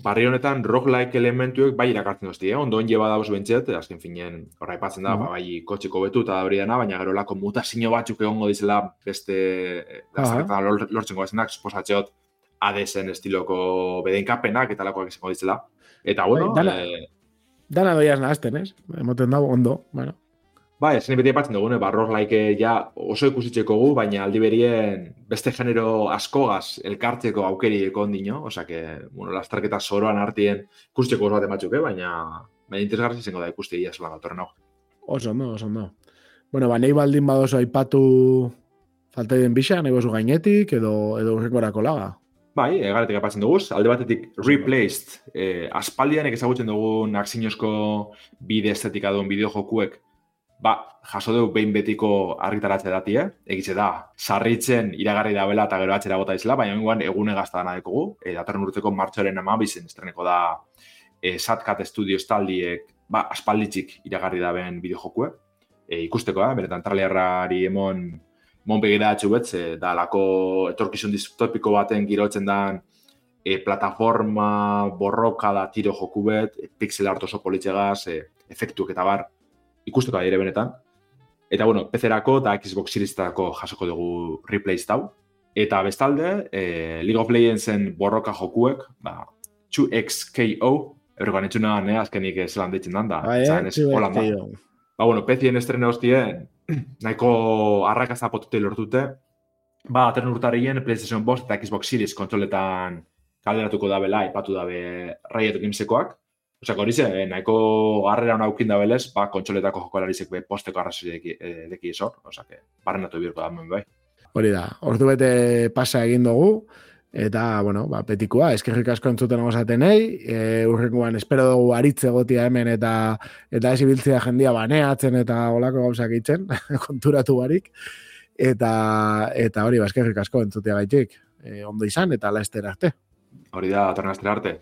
barri honetan roguelike elementuek bai irakartzen dozti, eh? Ondoen jeba dauz bentset, azken finen horra ipatzen da, uh -huh. ba, bai kotxeko betu eta hori dena, baina gero lako mutazio batzuk egongo dizela beste lastarketan uh -huh. lortzen goazenak, suposatxeot Hadesen estiloko bedenkapenak eta lakoak izango dizela. Eta bueno... Bai, dana, eh... dana doiaz nahazten, ez? Emoten dago ondo, bueno. Ba, ezen beti epatzen dugune, ba, roguelike ja oso ikusitzeko gu, baina aldi berien beste genero askogaz elkartzeko aukeri ekondino, oza que, bueno, lastarketa soroan artien ikusteko oso bat ematxuke, baina baina interesgarri izango da ikusti egia zelan datorren hau. Oso ondo, oso ondo. Bueno, ba, nahi baldin badozo aipatu falta den bisa, nahi bozu gainetik, edo, edo urrekorako laga. Bai, egaretik apatzen duguz, alde batetik Replaced, eh, aspaldianek ezagutzen dugun akzinozko bide estetika duen bideo jokuek, ba, jaso dugu behin betiko argitaratze dati, eh? Egitze da, sarritzen iragarri da bela eta gero atxera gota izela, baina minguan egune gazta dana dekogu. E, datorren urteko martxoaren amabizen estreneko da e, Satcat Studios taldiek, ba, aspalditzik iragarri da ben bideojokue. E, ikusteko, eh? Beretan trailerrari emon mon begira atxubetz, e, da lako etorkizun distopiko baten girotzen dan e, plataforma borroka da tiro joku bet, e, pixel art oso politxegaz, e, efektuak eta bar, ikusteko da dire benetan. Eta, bueno, P C-erako eta Xbox Series-erako jasoko dugu Replaced hau. Eta bestalde, eh, League of Legendsen borroka jokuek, ba, two X K O, eurrekoan etxuna, ne, azkenik zelan deitzen dan, da. Ba, eh, two X K O. Ba, bueno, P C-en estrena hostien, nahiko arrakazta potute lortute. Ba, ateren urtarrien, PlayStation bost eta Xbox Series kontroletan kalderatuko da bela, ipatu dabe Riot Gamesekoak. Osa, hori ze, eh, nahiko garrera hona aukin da belez, ba, kontsoletako jokolarizek be posteko arrazoi deki, eh, deki esor, osa, que barrenatu birko da hemen bai. Hori da, ordu bete pasa egin dugu, Eta, bueno, ba, petikoa, eskerrik asko entzuten osatenei, e, urrengoan espero dugu aritze gotia hemen eta eta ez ibiltzea jendia baneatzen eta olako gauzak itzen, konturatu barik. Eta, eta hori, ba, eskerrik asko entzutea gaitik. E, ondo izan eta laester arte. Hori da, atorna arte.